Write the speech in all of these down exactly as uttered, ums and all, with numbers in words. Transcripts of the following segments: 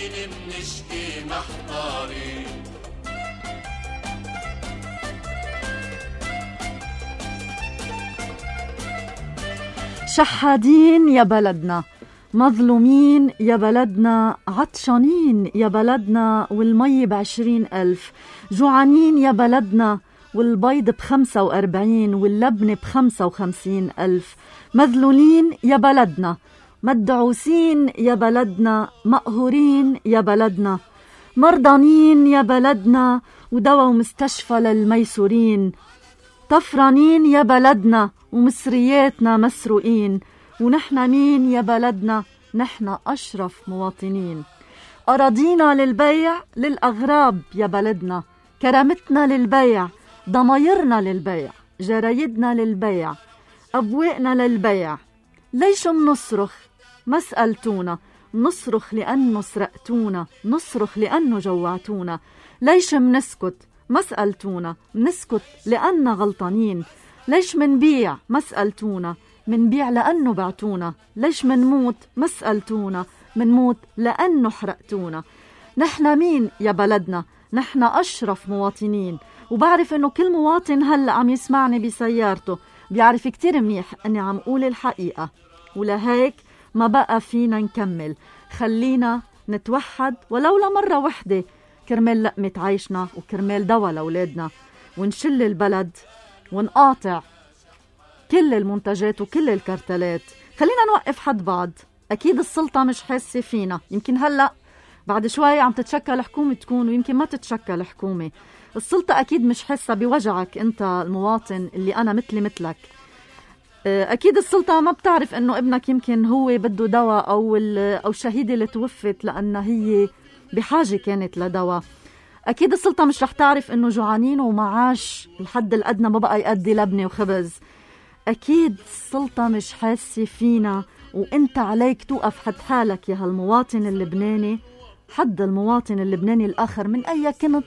شحادين منشكي محتارين. شحادين يا بلدنا، مظلومين يا بلدنا، عطشانين يا بلدنا والمي بعشرين ألف، جوعانين يا بلدنا والبيض بخمسة وأربعين واللبن بخمسة وخمسين ألف، مذلولين يا بلدنا، مدعوسين يا بلدنا، مقهورين يا بلدنا، مرضانين يا بلدنا ودوا ومستشفى للميسورين، طفرانين يا بلدنا ومصرياتنا مسروقين، ونحن مين يا بلدنا؟ نحن أشرف مواطنين. أراضينا للبيع للأغراب يا بلدنا، كرامتنا للبيع، ضمايرنا للبيع، جرايدنا للبيع، أبوائنا للبيع. ليش منصرخ؟ ما سألتونا، نصرخ لأنه سرقتونا، نصرخ لأنه جوعتونا. ليش منسكت؟ ما سألتونا، منسكت لأننا غلطانين. ليش منبيع؟ ما سألتونا، منبيع لأنه بعتونا. ليش منموت؟ ما سألتونا، منموت لأنه حرقتونا. نحن مين يا بلدنا؟ نحن أشرف مواطنين. وبعرف إنه كل مواطن هلأ عم يسمعني بسيارته بيعرف كتير منيح أني عم قول الحقيقة، ولهيك ما بقى فينا نكمل. خلينا نتوحد ولو لمرة وحدة كرمال لقمة عيشنا وكرمال دوا لأولادنا، ونشل البلد ونقاطع كل المنتجات وكل الكرتلات. خلينا نوقف حد بعض. أكيد السلطة مش حاسة فينا، يمكن هلأ بعد شوي عم تتشكل حكومة تكون ويمكن ما تتشكل حكومة. السلطة أكيد مش حاسة بوجعك أنت المواطن اللي أنا مثلي مثلك. أكيد السلطة ما بتعرف أنه ابنك يمكن هو بده دواء أو أو الشهيدة اللي توفت لأن هي بحاجة كانت لدواء. أكيد السلطة مش رح تعرف أنه جوعانين ومعاش الحد الأدنى ما بقى يقضي لبنة وخبز. أكيد السلطة مش حاسة فينا، وأنت عليك توقف حد حالك يا هالمواطن اللبناني، حد المواطن اللبناني الآخر من أي كنت،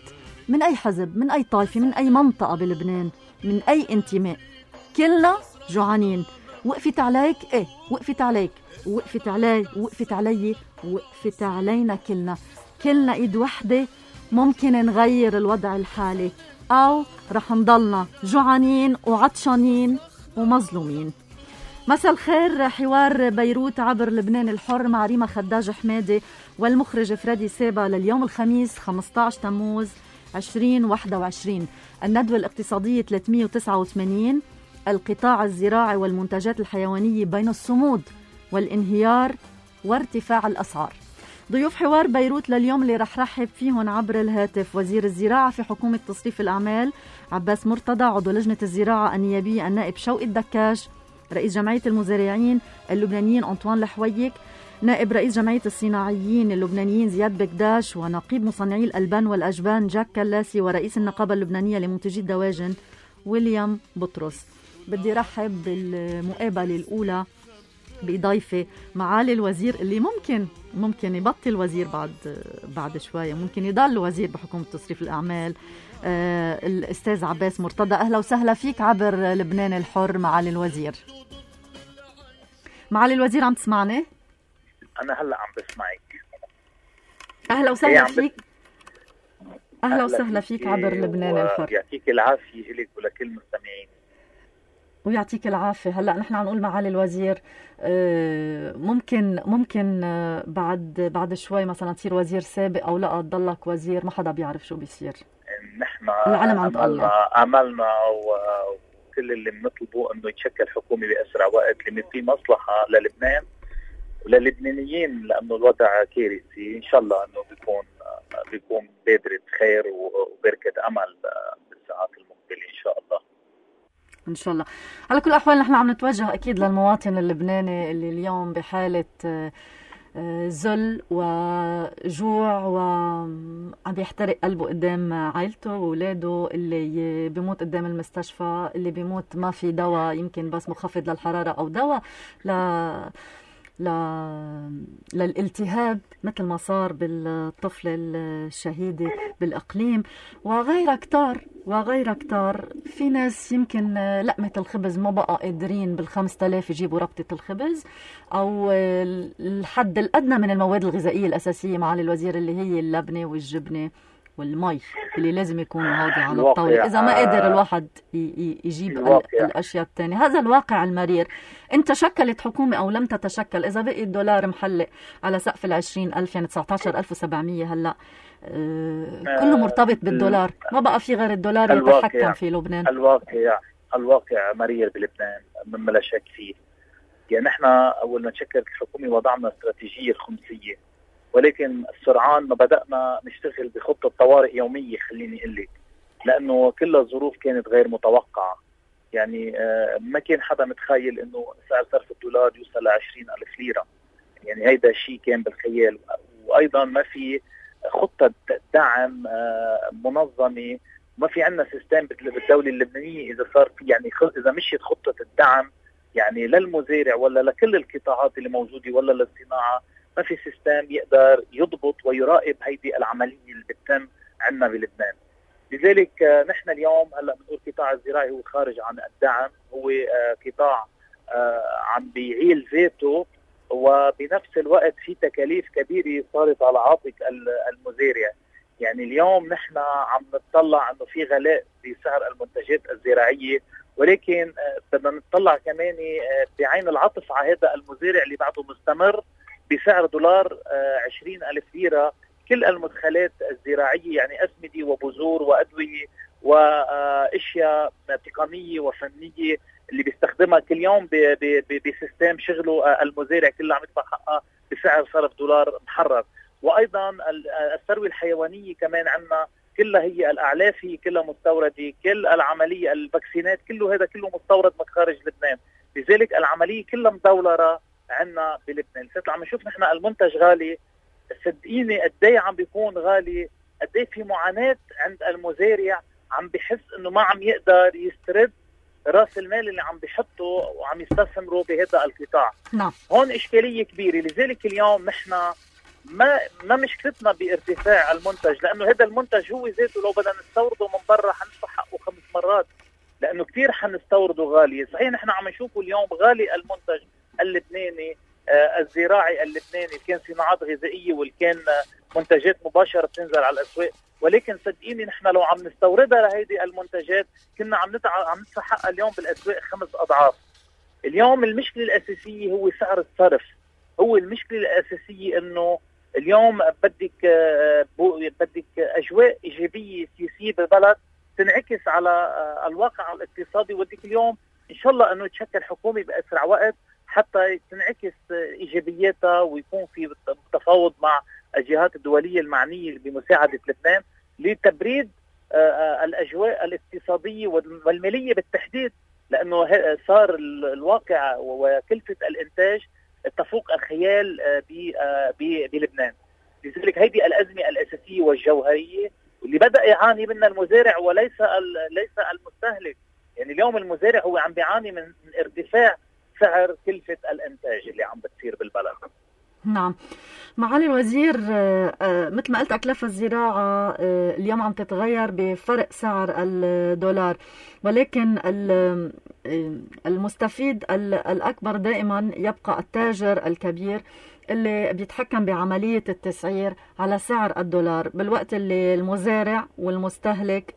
من أي حزب، من أي طائفة، من أي منطقة بلبنان، من أي انتماء. كلنا جوعانين. وقفت عليك ايه؟ وقفت عليك، وقفت علي، وقفت علي، وقفت علينا كلنا. كلنا ايد وحدة ممكن نغير الوضع الحالي، او رح نضلنا جوعانين وعطشانين ومظلومين. مساء الخير. حوار بيروت عبر لبنان الحر مع ريما خداج حمادي والمخرج فريدي سيبا لليوم الخميس خمسة عشر تموز عشرين واحد وعشرين. الندوة الاقتصادية ثلاثمئة وتسعة وثمانين، القطاع الزراعي والمنتجات الحيوانية بين الصمود والانهيار وارتفاع الأسعار. ضيوف حوار بيروت لليوم اللي رح رحب فيهم عبر الهاتف وزير الزراعة في حكومة تصريف الأعمال عباس مرتضى، عضو لجنة الزراعة النيابية النائب شوقي الدكاش، رئيس جمعية المزارعين اللبنانيين أنطوان لحويك، نائب رئيس جمعية الصناعيين اللبنانيين زياد بكداش، ونقيب مصنعي الألبان والأجبان جاك كلاسي، ورئيس النقابة اللبنانية لمنتجي الدواجن ويليام بطرس. بدي رحب بالمقابلة الأولى بضيفة معالي الوزير اللي ممكن ممكن يبطل وزير بعد بعد شوية، ممكن يضل وزير بحكومة تصريف الأعمال، آه الأستاذ عباس مرتضى. أهلا وسهلا فيك عبر لبنان الحر معالي الوزير. معالي الوزير عم تسمعني؟ أنا هلأ عم بسمعك. أهلا وسهلا فيك. أهلا وسهلا فيك عبر لبنان الحر. يعطيك العافية إلك ولكل المستمعين. ويعطيك العافية. هلأ نحن عم نقول معالي الوزير ممكن ممكن بعد بعد شوي مثلا تصير وزير سابق أو لا تضلك وزير، ما حدا بيعرف شو بيصير. نحن العلم عند الله. عملنا وكل اللي بنطلبه إنه يتشكل حكومة بأسرع وقت، لأن في مصلحة للبنان وللبنانيين، لأنه الوضع كارثي. إن شاء الله إنه بيكون بيكون بادرة خير وبركة أمل بالساعات المقبلة إن شاء الله. إن شاء الله. على كل الأحوال نحن عم نتوجه أكيد للمواطن اللبناني اللي اليوم بحالة ذل وجوع وعم بيحترق قلبه قدام عائلته وولاده، اللي بيموت قدام المستشفى، اللي بيموت ما في دواء، يمكن بس مخفض للحرارة أو دواء ل ل... للالتهاب مثل ما صار بالطفلة الشهيدة بالإقليم وغيرها كتار وغيرها كتار. في ناس يمكن لقمة الخبز ما بقى قادرين بالخمسة آلاف يجيبوا ربطة الخبز أو الحد الأدنى من المواد الغذائية الأساسية معالي الوزير اللي هي اللبنة والجبنة والمي اللي لازم يكونوا هودي على الطاولة إذا ما قادر الواحد يجيب الأشياء التانية. هذا الواقع المرير. إن تشكلت حكومة أو لم تتشكل، إذا بقي الدولار محلق على سقف العشرين ألف يعني تسعة عشر ألف وسبعمية هلأ آه كله مرتبط بالدولار، ما بقى في غير الدولار يتحكم في لبنان. الواقع الواقع مرير بلبنان مما لا شك فيه. يعني نحن أول ما تشكلت الحكومة وضعنا استراتيجية الخمسية، ولكن السرعان ما بدأنا نشتغل بخطة طوارئ يومية خليني أقول لك، لأنه كل الظروف كانت غير متوقعة. يعني ما كان حدا متخيل إنه سعر صرف الدولار يوصل لعشرين ألف ليرة، يعني هيدا الشيء كان بالخيال. وأيضا ما في خطة دعم منظمة، ما في عندنا سيستم بالدولة اللبنانية إذا صار في يعني إذا مشيت خطة الدعم يعني للمزارع ولا لكل القطاعات اللي موجودة ولا للصناعة، ما في سيستم يقدر يضبط ويراقب هيدي العملية اللي بتتم عندنا بلبنان. لذلك نحن اليوم هلا بنقول القطاع الزراعي هو خارج عن الدعم، هو قطاع عم بيعيل ذاته، وبنفس الوقت في تكاليف كبيرة صارت على عاتق المزارع. يعني اليوم نحن عم نطلع انه في غلاء بسعر المنتجات الزراعية، ولكن بدنا نطلع كمان بعين العطف على هذا المزارع اللي بعده مستمر بسعر دولار عشرين ألف ليرة كل المدخلات الزراعية، يعني أسمدة وبذور وأدوية وأشياء تقنية وفنية اللي بيستخدمها كل يوم بسيستم شغله المزارع كله عم يدفع حقها بسعر صرف دولار محرر. وأيضا الثروة الحيوانية كمان عندنا كلها هي الأعلاف هي كلها مستوردة، كل العملية الفاكسينات كله هذا كله مستورد من خارج لبنان. لذلك العملية كلها مدولرة عندنا بلبنان. لسه عم نشوف نحن المنتج غالي، صدقيني قد ايه عم بيكون غالي، قد ايه في معاناة عند المزارع، عم بحس انه ما عم يقدر يسترد راس المال اللي عم بيحطه وعم يستثمره بهذا القطاع. نعم. هون إشكالية كبيرة. لذلك اليوم نحن ما ما مشكلتنا بارتفاع المنتج، لأنه هذا المنتج هو ذاته لو بدنا نستورده من برا حندفع حقه خمس مرات، لأنه كثير حنستورده غالي. صحيح نحن عم نشوفه اليوم غالي المنتج اللبناني آه الزراعي اللبناني، كان صناعات غذائية والكان آه منتجات مباشرة بتنزل على الأسواق، ولكن صدقيني نحن لو عم نستوردها لهيدي المنتجات كنا عم ندفع عم ندفع حقها اليوم بالأسواق خمس أضعاف. اليوم المشكلة الأساسية هو سعر الصرف، هو المشكلة الأساسية إنه اليوم بدك آه بدك أجواء إيجابية سياسية بالبلد تنعكس على آه الواقع الاقتصادي، ودك اليوم إن شاء الله إنه تشكل حكومة بأسرع وقت حتى تنعكس إيجابياتها ويكون في تفاوض مع الجهات الدولية المعنية بمساعدة لبنان لتبريد الأجواء الاقتصادية والمالية بالتحديد، لأنه صار الواقع وكلفة الإنتاج تفوق الخيال بلبنان. لذلك هذه الأزمة الأساسية والجوهرية اللي بدأ يعاني منها المزارع وليس ليس المستهلك. يعني اليوم المزارع هو عم بيعاني من ارتفاع سعر كلفة الإنتاج اللي عم بتصير بالبلد. نعم معالي الوزير، مثل ما قلت أكلاف الزراعة اليوم عم تتغير بفرق سعر الدولار، ولكن المستفيد الأكبر دائما يبقى التاجر الكبير اللي بيتحكم بعملية التسعير على سعر الدولار، بالوقت اللي المزارع والمستهلك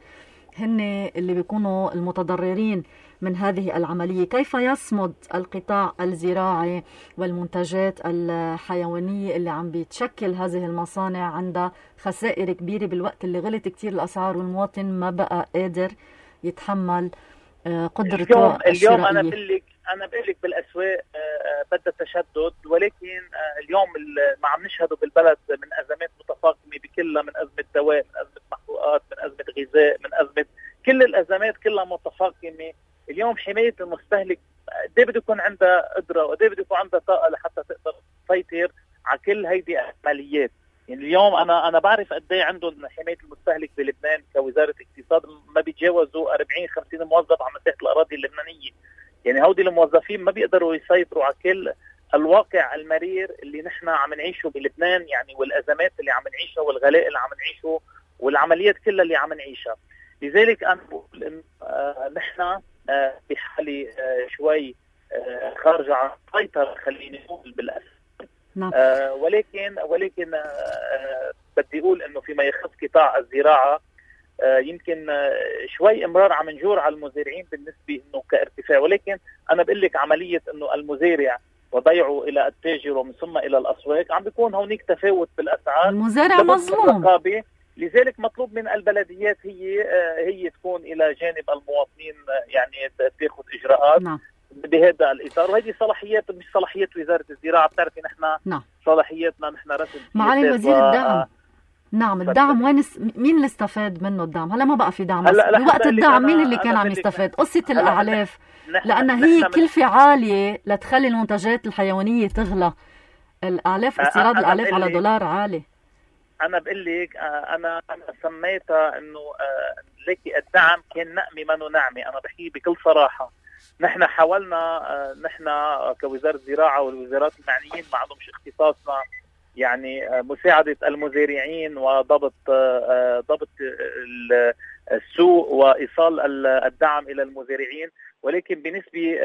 هن اللي بيكونوا المتضررين من هذه العملية. كيف يصمد القطاع الزراعي والمنتجات الحيوانية اللي عم بيتشكل هذه المصانع عندها خسائر كبيرة بالوقت اللي غلت كتير الأسعار والمواطن ما بقى قادر يتحمل قدرته الشرائية؟ اليوم أنا بقلك أنا بقلك بالأسواق بدها تشدد، ولكن اليوم ما عم نشهده بالبلد من أزمات متفاقمة بكلها، من أزمة دواء، من أزمة محروقات، من أزمة غذاء، من أزمة كل الأزمات كلها متفاقمة. اليوم حماية المستهلك قد ايه بده يكون عندها قدرة وقد ايه بده يكون عندها طاقة لحتى تقدر تسيطر على كل هيدي العمليات. يعني اليوم أنا أنا بعرف قد ايه عندهم حماية المستهلك بلبنان كوزارة اقتصاد، ما بيتجاوزوا أربعين خمسين موظف على مساحة الأراضي اللبنانية. يعني هودي الموظفين ما بيقدروا يسيطروا على كل الواقع المرير اللي نحن عم نعيشه بلبنان، يعني والأزمات اللي عم نعيشها والغلاء اللي عم نعيشه والعمليات كلها اللي عم نعيشها. لذلك أنا بقول إن آه نحن آه بحالة آه شوي آه خارجة عن السيطرة، خليني أقول بالأسف. نعم. آه ولكن ولكن آه بدي أقول إنه فيما يخص قطاع الزراعة آه يمكن آه شوي امرار عم نجور على المزارعين بالنسبة إنه كارتفاع، ولكن أنا بقول لك عملية إنه المزارع وضيعه إلى التاجر ومن ثم إلى الأسواق عم بيكون هونيك تفاوت بالأسعار. المزارع مظلوم. لذلك مطلوب من البلديات هي آه هي تكون إلى جانب المواطنين، آه يعني تاخذ إجراءات. نعم. بهذا الإطار، وهذه صلاحيات مش صلاحيات وزارة الزراعة. بتعرفي نحن نعم. صلاحياتنا نحن رسم معالي وزير و... الدعم. نعم. الدعم وين س... مين اللي استفاد منه الدعم؟ هلا ما بقى في دعم. بوقت الدعم مين اللي كان عم يستفاد؟ قصة الأعلاف، لأن هي كلفة عالية لتخلي المنتجات الحيوانية تغلى. الأعلاف، استيراد الأعلاف على دولار عالي. أنا بقول لك أنا أنا سميتها إنه لكي الدعم كان نقمي منه نعمي. أنا بحكي بكل صراحة، نحن حاولنا نحن كوزارة الزراعة والوزارات المعنيين ما عندهمش اختصاصنا، يعني مساعدة المزارعين وضبط ضبط السوق وإيصال الدعم إلى المزارعين، ولكن بنسبة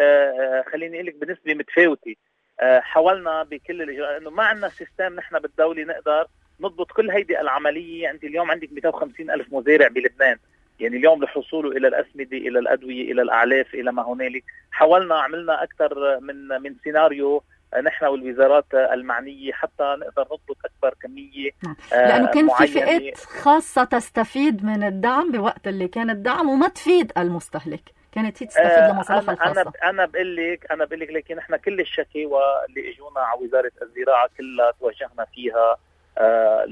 خليني أقول لك بنسبة متفاوتة. حاولنا بكل الإجراءات إنه ما عندنا سيستم نحن بالدولة نقدر نضبط كل هيدي العملية. أنت اليوم عندك مئتين وخمسين ألف مزارع بلبنان، يعني اليوم لحصوله إلى الأسمدة إلى الأدوية إلى الأعلاف إلى ما هنالك. حاولنا عملنا أكثر من من سيناريو نحن والوزارات المعنية حتى نقدر نضبط أكبر كمية. لأنه كان في فئات خاصة تستفيد من الدعم بوقت اللي كان الدعم وما تفيد المستهلك، كانت هي تستفيد لمصالحها الخاصة. أنا أنا بقول لك أنا بقول لك لكن نحن كل الشكاوى اللي اجونا على وزارة الزراعة كلها توجهنا فيها آه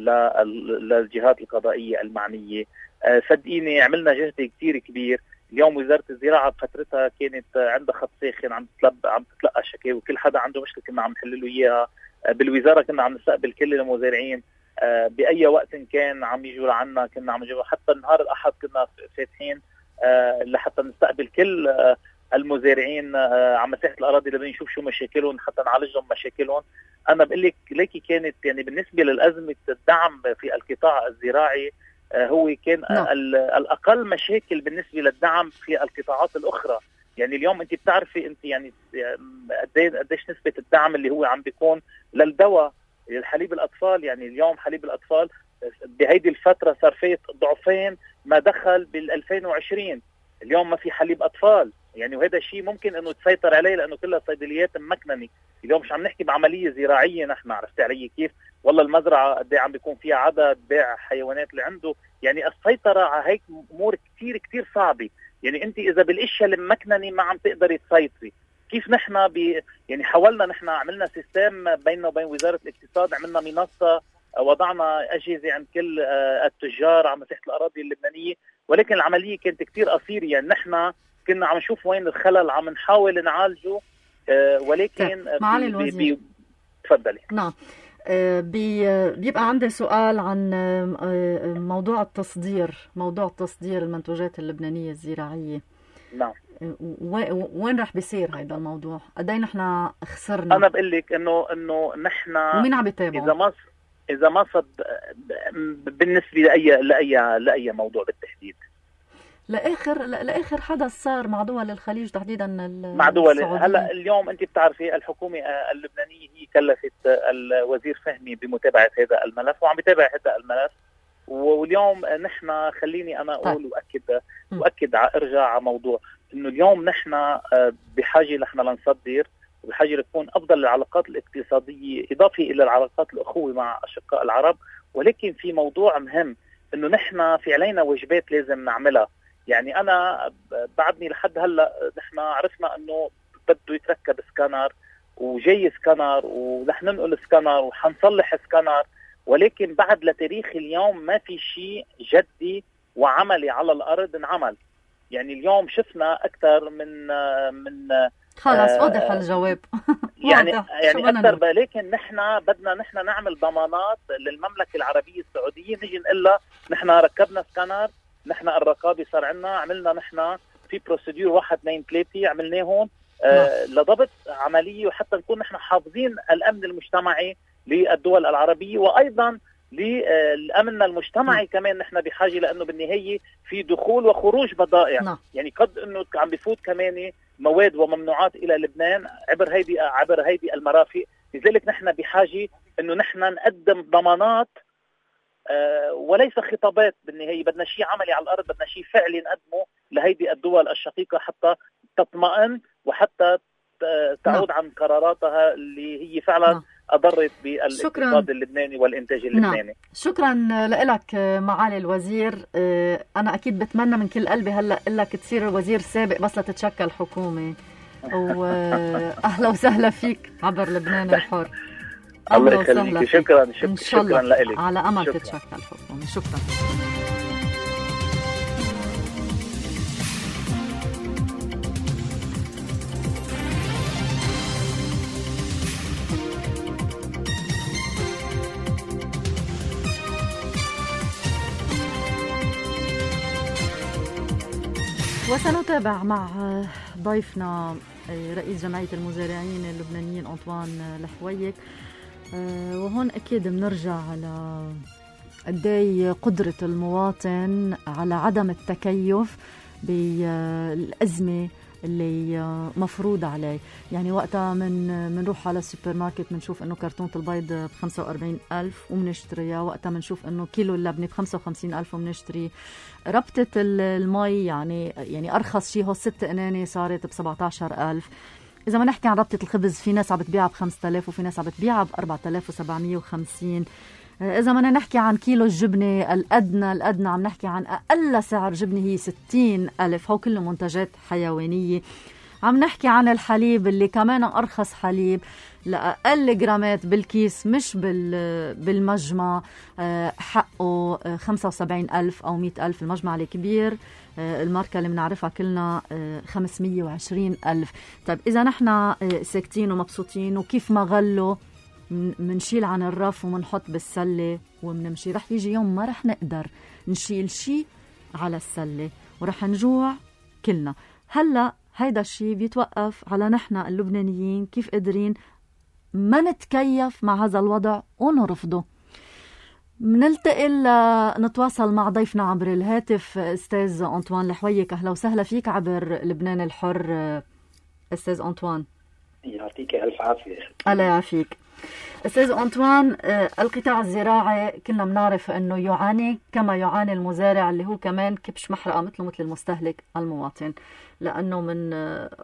للجهات القضائية المعنية. آه صدقيني عملنا جهد كتير كبير. اليوم وزارة الزراعة بفترتها كانت عندها خط ساخن عم تتلقى عم تتلقى شكاوى، وكل حدا عنده مشكلة كنا عم نحل له اياها. آه بالوزارة كنا عم نستقبل كل المزارعين آه بأي وقت كان عم يجوا لعنا، كنا عم نجيبها حتى نهار الأحد كنا فاتحين آه لحتى نستقبل كل آه المزارعين آه على مساحة الأراضي اللي نشوف شو مشاكلهم حتى نعالجهم مشاكلهم. أنا بقول لك ليكي كانت يعني بالنسبة للأزمة الدعم في القطاع الزراعي آه هو كان آه الأقل مشاكل بالنسبة للدعم في القطاعات الأخرى. يعني اليوم أنت بتعرفي أنت يعني قديش نسبة الدعم اللي هو عم بيكون للدواء للحليب الأطفال. يعني اليوم حليب الأطفال بهيدي الفترة صار فيه ضعفين ما دخل بالألفين وعشرين. اليوم ما في حليب أطفال يعني، وهذا الشيء ممكن انه تسيطر عليه لانه كلها صيدليات ممكنه. اليوم مش عم نحكي بعمليه زراعيه نحن، عرفتي علي كيف؟ والله المزرعه قد ايه عم بيكون فيها عدد بيع حيوانات اللي عنده. يعني السيطره على هيك امور كثير كثير صعبه. يعني انت اذا بالاشياء الممكنه ما عم تقدري تسيطري كيف. نحن ب يعني حاولنا نحن عملنا سيستم بيننا وبين وزاره الاقتصاد، عملنا منصه وضعنا اجهزه عند كل التجار على مساحه الاراضي اللبنانيه، ولكن العمليه كانت كثير قصيره. يعني نحن كنا عم نشوف وين الخلل عم نحاول نعالجه آه ولكن معالي الوزير بي... تفضلي. نعم. آه بي... بيبقى عندي سؤال عن آه موضوع التصدير موضوع تصدير المنتوجات اللبنانية الزراعية. نعم. و... وين رح بيصير هذا الموضوع؟ قد ايه نحن خسرنا؟ انا بقول لك انه انه نحن ومين عم يتابعه؟ اذا ما اذا ما صد بالنسبه لاي لاي لاي موضوع بالتحديد لاخر لاخر حدث صار مع دول الخليج تحديدا مع دول هلا اليوم انت بتعرفي الحكومه اللبنانيه هي كلفت الوزير فهمي بمتابعه هذا الملف وعم بيتابع هذا الملف. واليوم نحن خليني انا اقول طيب. واكد واكد ارجع على موضوع انه اليوم نحن بحاجه نحن لنصدر وبحاجه تكون افضل العلاقات الاقتصاديه اضافه الى العلاقات الاخوه مع اشقاء العرب. ولكن في موضوع مهم انه نحن في علينا واجبات لازم نعملها. يعني انا بعدني لحد هلا نحن عرفنا انه بده يتركب سكانر وجاي سكانر ورح ننقل سكانر وحنصلح سكانر، ولكن بعد لتاريخ اليوم ما في شيء جدي وعملي على الارض انعمل. يعني اليوم شفنا اكثر من من خلاص واضح الجواب يعني يعني اكثر، ولكن نحن بدنا نحن نعمل ضمانات للمملكه العربيه السعوديه. نيجي نقول لها نحن ركبنا سكانر، نحن الرقابه صار عندنا، عملنا نحن في بروسيدور واحد اثنين ثلاثه عملناهم، آه لضبط عملية، وحتى نكون نحن حافظين الأمن المجتمعي للدول العربية، وأيضا لأمننا المجتمعي. م. كمان نحن بحاجة، لأنه بالنهاية في دخول وخروج بضائع. م. يعني قد أنه عم بفوت كمان مواد وممنوعات إلى لبنان عبر هيدي عبر هيدي المرافق. لذلك نحن بحاجة أنه نحن نقدم ضمانات آه وليس خطابات. بالنهاية بدنا شيء عملي على الأرض، بدنا شيء فعلي نقدمه لهيدي الدول الشقيقة حتى تطمئن وحتى تعود نعم. عن قراراتها اللي هي فعلا نعم. أضرت بالاقتصاد اللبناني والإنتاج اللبناني. نعم. شكرا لك معالي الوزير. أنا أكيد بتمنى من كل قلبي هلأ لك تصير وزير سابق بس لتتشكل حكومة، وأهلا وسهلا فيك عبر لبنان الحر. الله يخليك. شكرا شكرا لك. على أمل شكرا. تتشكل حكومة. شكرا. وسنتابع مع ضيفنا رئيس جمعية المزارعين اللبنانيين أنطوان الحويك. وهون أكيد بنرجع على قدي قدرة المواطن على عدم التكيف بالأزمة اللي مفروض عليه. يعني وقتها من منروح على السوبر ماركت منشوف انه كرتونة البيض بخمسة وأربعين ألف ومنشتريها، وقتها منشوف انه كيلو اللبنة بخمسة وخمسين ألف ومنشتري. ربطة المي يعني يعني أرخص شيء هو ست قنانة صارت بسبعة عشر ألف. إذا ما نحكي عن ربطة الخبز، في ناس عم بتبيعها بخمسة آلاف وفي ناس عم بتبيعها بأربعة آلاف وسبعمية وخمسين. إذا بدنا نحكي عن كيلو الجبنة الأدنى الأدنى عم نحكي عن أقل سعر جبنة هي ستين ألف. هو كله منتجات حيوانية. عم نحكي عن الحليب اللي كمان أرخص حليب لأقل جرامات بالكيس مش بالمجمع، حقه خمسة وسبعين ألف أو مئة ألف. المجمع الكبير الماركة اللي بنعرفها كلنا خمسمية وعشرين ألف. طيب إذا نحن ساكتين ومبسوطين وكيف ما غلوا منشيل عن الرف ومنحط بالسلة ومنمشي، رح يجي يوم ما رح نقدر نشيل شيء على السلة ورح نجوع كلنا. هلأ هيدا الشيء بيتوقف على نحن اللبنانيين كيف قادرين ما نتكيف مع هذا الوضع ونرفضه. منلتقي نتواصل مع ضيفنا عبر الهاتف أستاذ أنطوان الحويك. أهلا وسهلا فيك عبر لبنان الحر أستاذ أنطوان. يعطيك ألف عافية. الله يعافيك أستاذ أنطوان. القطاع الزراعي كلنا بنعرف أنه يعاني كما يعاني المزارع اللي هو كمان كبش محرقة مثله مثل المستهلك المواطن، لأنه من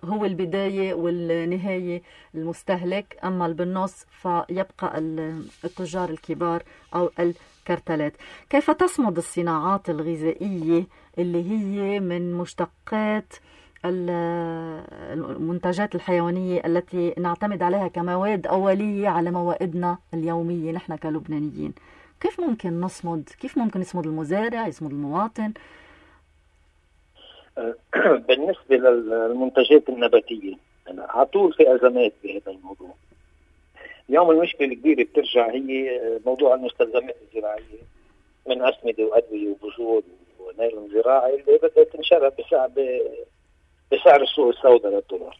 هو البداية والنهاية المستهلك، أما بالنص فيبقى التجار الكبار أو الكرتلات. كيف تصمد الصناعات الغذائية اللي هي من مشتقات المنتجات الحيوانية التي نعتمد عليها كمواد أولية على موائدنا اليومية نحن كلبنانيين؟ كيف ممكن نصمد؟ كيف ممكن يصمد المزارع، يصمد المواطن؟ بالنسبة للمنتجات النباتية أنا على طول في أزمات بهذا الموضوع. اليوم المشكلة الكبيرة بترجع هي موضوع المستلزمات الزراعية من أسمدة وأدوية وبذور ونايلون زراعي اللي بدها تنشرى بسعر بسعر السوق السوداء للدولار.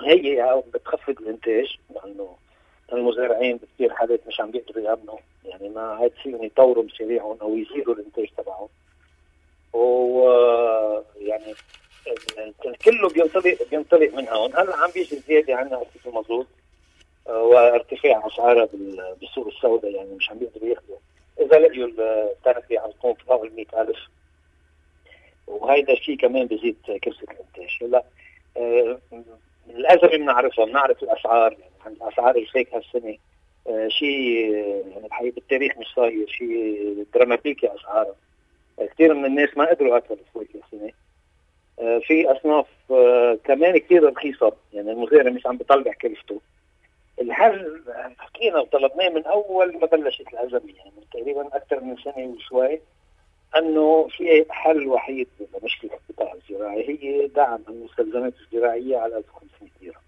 هي بتخفض الانتاج لانه المزارعين بتصير حالات مش عم بيقدروا يامنوا، يعني ما عاد فيهم يطوروا مشاريعهم او يزيدوا الانتاج تبعهم، ويعني كله بينطلق بينطلق من هون. هلا عم بيجي زياده عنا في المازوت وارتفاع اسعارها بالسوق السوداء، يعني مش عم بيقدروا ياخذوا اذا لقيوا الترفيه عم تكون فوق ال مئة ألف، وهيدا الشيء كمان بزيد كرسة الانتاج. هلا آه الأزمة بنعرفها، بنعرف الأسعار، يعني عن أسعار الفيك هالسنة آه شيء يعني الحقيقة بالتاريخ مش صاير، شيء دراماتيكي أسعارها. آه كثير من الناس ما قدروا ياكلوا الفيك هالسنة. آه في أصناف آه كمان كثير رخيصة، يعني المزارع مش عم بيطلع كلفته. الحل حكينا وطلبناه من أول ما بلشت الأزمة، يعني من تقريبا أكثر من سنة وشوي، أنه في حل وحيد لمشكلة القطاع الزراعي هي دعم المستلزمات الزراعية على ألف وخمسمية ليرة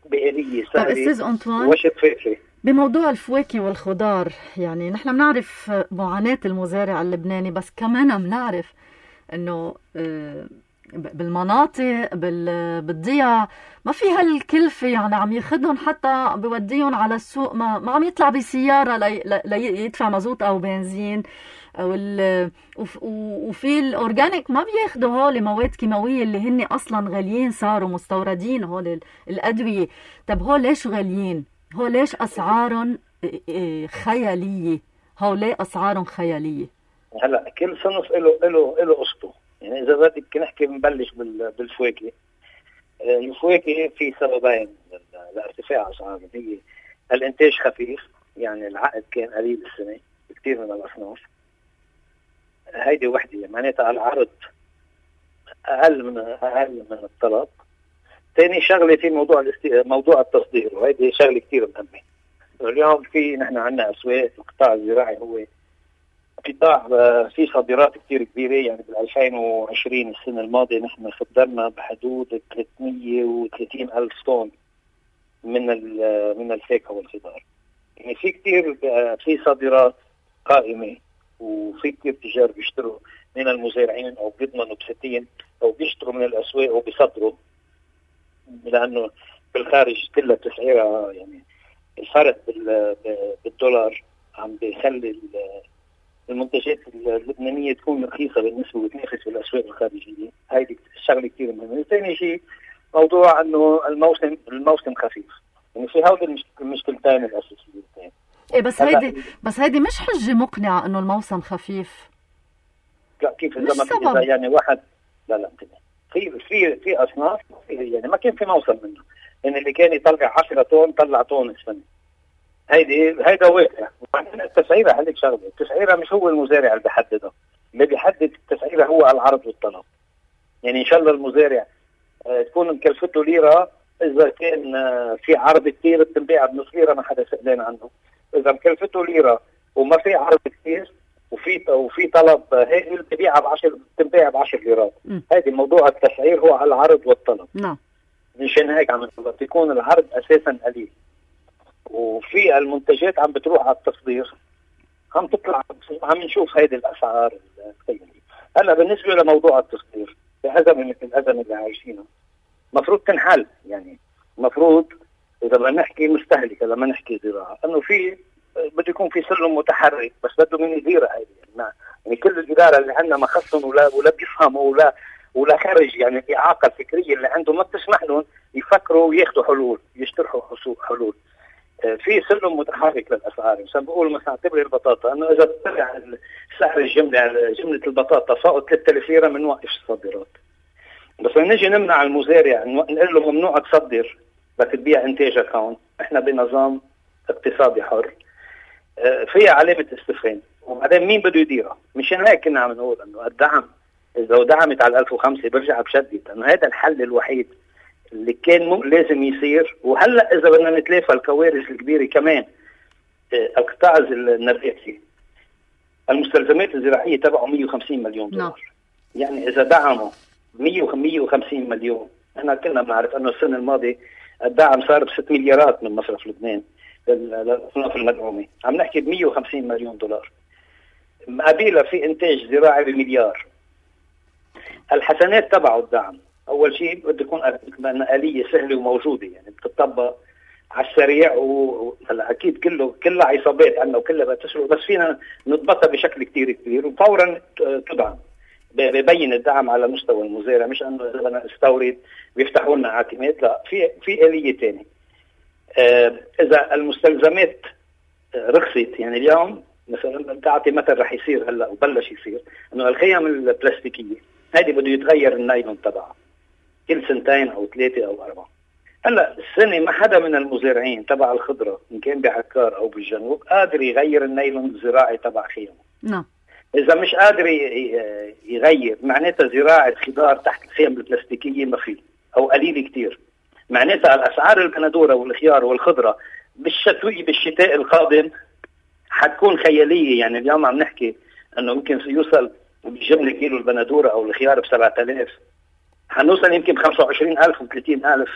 بآلية سهلة وشفافة. بموضوع الفواكه والخضار، يعني نحن بنعرف معاناة المزارع اللبناني، بس كمان بنعرف أنه بالمناطق بالضيع ما في هالكلفة، يعني عم ياخدهم حتى بوديهم على السوق، ما, ما عم يطلع بسيارة لي ليدفع مازوت أو بنزين. وال... وفي الأورجانيك ما بياخدوا هول مواد كيماوية اللي هن أصلا غاليين، صاروا مستوردين هول الأدوية. طب هول ليش غاليين؟ هول ليش أسعارهم خيالية؟ هول ليه أسعارهم خيالية؟ هلا كل صنف له له له قصته. يعني إذا بدك نحكي بنبلش بالفواكه. الفواكه في سببين لارتفاع أسعارهم، هي الإنتاج خفيف، يعني العقد كان قليل السنة كثير من الأصناف، هيدي وحدة معناتها العرض أقل من أقل من الطلب. ثاني شغلة في موضوع الاستي... موضوع التصدير، وهيدي شغلة كثير مهمة. اليوم في نحن عندنا أسواق، القطاع الزراعي هو قطاع في صادرات كثير كبيرة. يعني بال ألفين وعشرين السنة الماضية نحن صدرنا بحدود ثلاثمية وثلاثين ألف طن من من الفاكهة والخضار. يعني في كثير في صادرات قائمة، وفي كثير تجار بيشتروا من المزارعين او بيضمنوا بستين او بيشتروا من الاسواق وبيصدروا، لانه بالخارج كلها تسعيرها يعني الفرق بالدولار عم بيخلي المنتجات اللبنانيه تكون رخيصه بالنسبه وتنافس بالاسواق الخارجيه. هيدي الشغله كثير مهمه. ثاني شيء موضوع انه الموسم الموسم خفيف. يعني في هودي المشكلتين الاساسيتين. ايه بس هيدي بس هيدي مش حجه مقنعه انه الموسم خفيف. لا كيف اذا ما يعني واحد لا لا في في في اصناف يعني ما كان في موسم منه. يعني اللي كان يطلع عشرة طن طلع طن السنه. هيدي هيدا واقع. وبعدين التسعيره هذيك شغله، التسعيره مش هو المزارع اللي بيحددها، اللي بيحدد التسعيره هو العرض والطلب. يعني ان شاء الله المزارع آه تكون مكلفته ليره، اذا كان آه في عرض كثير بتنباع بنص ليره ما حدا سألان عنه. اذا مكلفته ليره وما في عرض كثير وفي وفي طلب، هي اللي بتبيعها ب عشرة بتنباع ب عشرة ليرات. هذه موضوع التسعير هو على العرض والطلب. نعم. مشان هيك عم بيكون العرض اساسا قليل، وفي المنتجات عم بتروح على التصدير عم تطلع، عم نشوف هيدي الاسعار الخياليه. هلا بالنسبه لموضوع التصدير، بأزمه مثل الازمه اللي عايشينها المفروض تنحل. يعني المفروض اذا بدنا نحكي مستهلكه لما نحكي زراعه، انه في بده يكون في سلم متحرك، بس بده من يديرها هيدي. يعني, يعني كل الاداره اللي عندنا ما خصهم ولا ولا بيفهموا ولا ولا خارج، يعني الاعاقه الفكريه اللي عندهم ما بتسمح لهم يفكروا وياخذوا حلول، يشترحوا حلول. في سلم متحرك للاسعار. مثلا بقول مثلا اعتبري البطاطا، انه اذا طلع سعر الجمله جمله البطاطا فوق ثلاثة آلاف ليره بنوقف الصادرات. بس نجي نمنع المزارع نقول له ممنوع تصدر، بدك تبيع انتاجك هون. احنا بنظام اقتصادي حر فيها علامه استفهام، وبعدين مين بده يديرها؟ مشان هيك كنا عم نقول انه الدعم اذا دعمت على ألف وخمسة برجع بشدد، انه هذا الحل الوحيد اللي كان م... لازم يصير. وهلا اذا بدنا نتلافى الكوارث الكبيره كمان، القطاع النباتي المستلزمات الزراعيه تبعه مية وخمسين مليون دولار. no. يعني اذا دعموا مية وخمسين مليون، احنا كنا بنعرف انه السنه الماضيه الدعم صار ب ستة مليارات من مصرف لبنان للاصناف المدعومه، عم نحكي ب مية وخمسين مليون دولار. مقابلها في انتاج زراعي بمليار. الحسنات تبعه الدعم، اول شيء بده يكون آلية سهله وموجوده، يعني بتطبق على السريع. وهلا اكيد كله كلها عصابات عندنا وكلها بتسرق، بس فينا نضبطها بشكل كثير كبير وفورا تدعم. ببين الدعم على مستوى المزارع، مش انه اذا بدنا نستورد بيفتحوا لنا عاتمات، لا في في آلية ثانيه. آه اذا المستلزمات رخصت، يعني اليوم مثلا تعطي مثل رح يصير هلا وبلش يصير انه الخيام البلاستيكيه هذه بده يتغير النايلون تبعها كل سنتين او ثلاثه او اربعه. هلا السنه ما حدا من المزارعين تبع الخضره ان كان بعكار او بالجنوب قادر يغير النايلون الزراعي تبع خيامه. نعم. اذا مش قادر يغير معناتها زراعه خضار تحت الخيام البلاستيكيه ما في او قليل كثير. معناتها الاسعار البندوره والخيار والخضره بالشتوي بالشتاء القادم حتكون خياليه. يعني اليوم عم نحكي انه يمكن يوصل بالجمله كيلو البندوره او الخيار ب سبعة آلاف، حنوصل يمكن ب خمسة وعشرين ألف و ثلاثين ألف.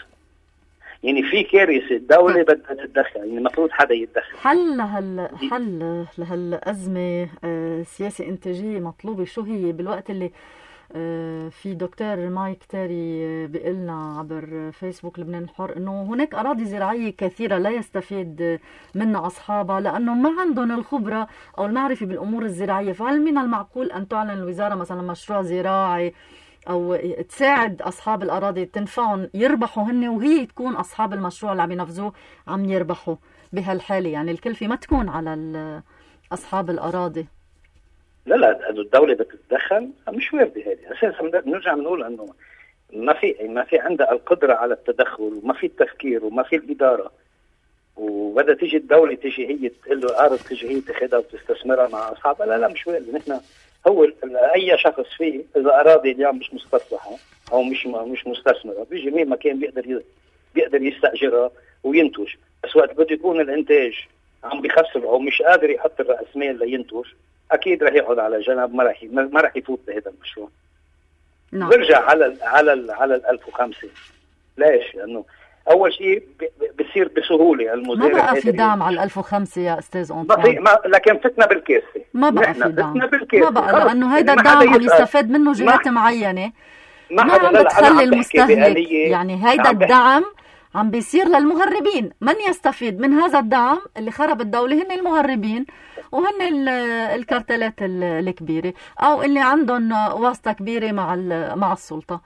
يعني في كارثه، الدوله بدها تتدخل، يعني المفروض حدا يتدخل. حل لهال حل لهالازمه سياسه انتاجيه مطلوبه. شو هي بالوقت اللي في دكتور مايك تاري بيقلنا عبر فيسبوك لبنان الحر انه هناك اراضي زراعيه كثيره لا يستفيد منها اصحابها لانه ما عندهم الخبره او المعرفه بالامور الزراعيه. فهل من المعقول ان تعلن الوزاره مثلا مشروع زراعي او تساعد اصحاب الاراضي تنفعهم يربحوا هن وهي تكون اصحاب المشروع اللي عم ينفذوه عم يربحوا بهالحاله؟ يعني الكلفه ما تكون على اصحاب الاراضي. لا لا الدولة بتتدخل مش واردة هذه اساسا. بنرجع بنقول انه ما في ما في عندها القدرة على التدخل وما في التفكير وما في الإدارة، وبدها تيجي الدولة تيجي هي تقول له ارض تيجي هي تاخذها وتستثمرها مع اصحابها. لا لا مش واردة. نحن هو اي شخص فيه اذا اراضي اليوم مش مستصلحة او مش مش مستثمرة بيجي مين ما كان بيقدر بيقدر يستأجرها وينتج، بس وقت بده يكون الانتاج عم بيخسر او مش قادر يحط الرأس مال لينتج اكيد رح يقعد على جنب، ما رح ما رح يفوت بهذا المشروع. نعم. برجع على ال على ال على ال ألف وخمسة. ليش؟ لانه اول شيء بصير بسهوله المزارع ما بقى في دعم على ال ألف وخمسة يا استاذ أنطوان. ما في ما لكن فتنا بالكاسه. ما بقى في دعم. ما بقى لانه هيدا الدعم عم يستفاد منه جهات معينه. ما, ما عم بتخلي المستهلك. يعني هيدا الدعم عم بيصير للمهربين. من يستفيد من هذا الدعم اللي خرب الدولة هن المهربين وهن الكارتلات الكبيرة أو اللي عندهم واسطة كبيرة مع مع السلطة.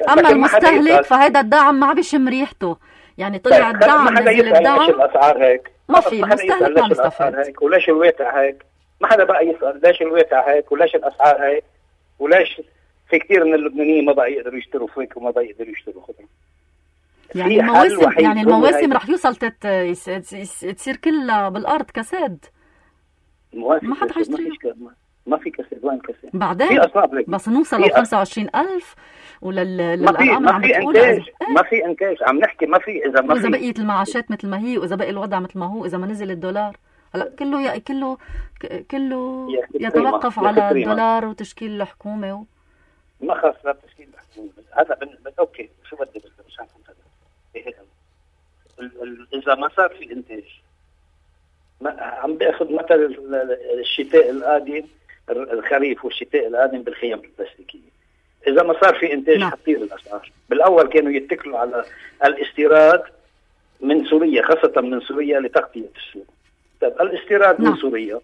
أما المستهلك فهذا الدعم ما بيشم ريحته. يعني طلع الدعم نزل الدعم الأسعار هيك ما في المستهلك ما بيستفيد. وليش الواقع هيك؟ ما حدا بقى يسأل ليش الواقع هيك وليش الأسعار هيك وليش في كتير من اللبنانيين ما بقى يقدروا يشتروا فواكه وما بقى يقدروا يشتروا خضرة. يعني المواسم يعني المواسم رح يوصل تت تصير كلها بالارض كساد. ما حد حيشتري. ما في كساد. وين كساد؟ بعدين بس نوصل ل خمسة وعشرين ألف وللارقام عم بتقول ما في انتاج. عم نحكي ما في اذا ما في اذا بقيت المعاشات مثل ما هي واذا بقي الوضع مثل ما هو اذا ما نزل الدولار. هلا كله يا كله كله يتوقف على الدولار وتشكيل الحكومه و... ما خاص لا تشكيل الحكومه. هذا بن... اوكي شو بدي بس مش عارف إذا ما صار في إنتاج. ما عم بأخذ مثل الشتاء القادم الخريف والشتاء القادم بالخيام البلاستيكية. إذا ما صار في إنتاج حتطير الأسعار. بالأول كانوا يتكلوا على الاستيراد من سوريا خاصة من سوريا لتغطية السوق. طيب الاستيراد من سوريا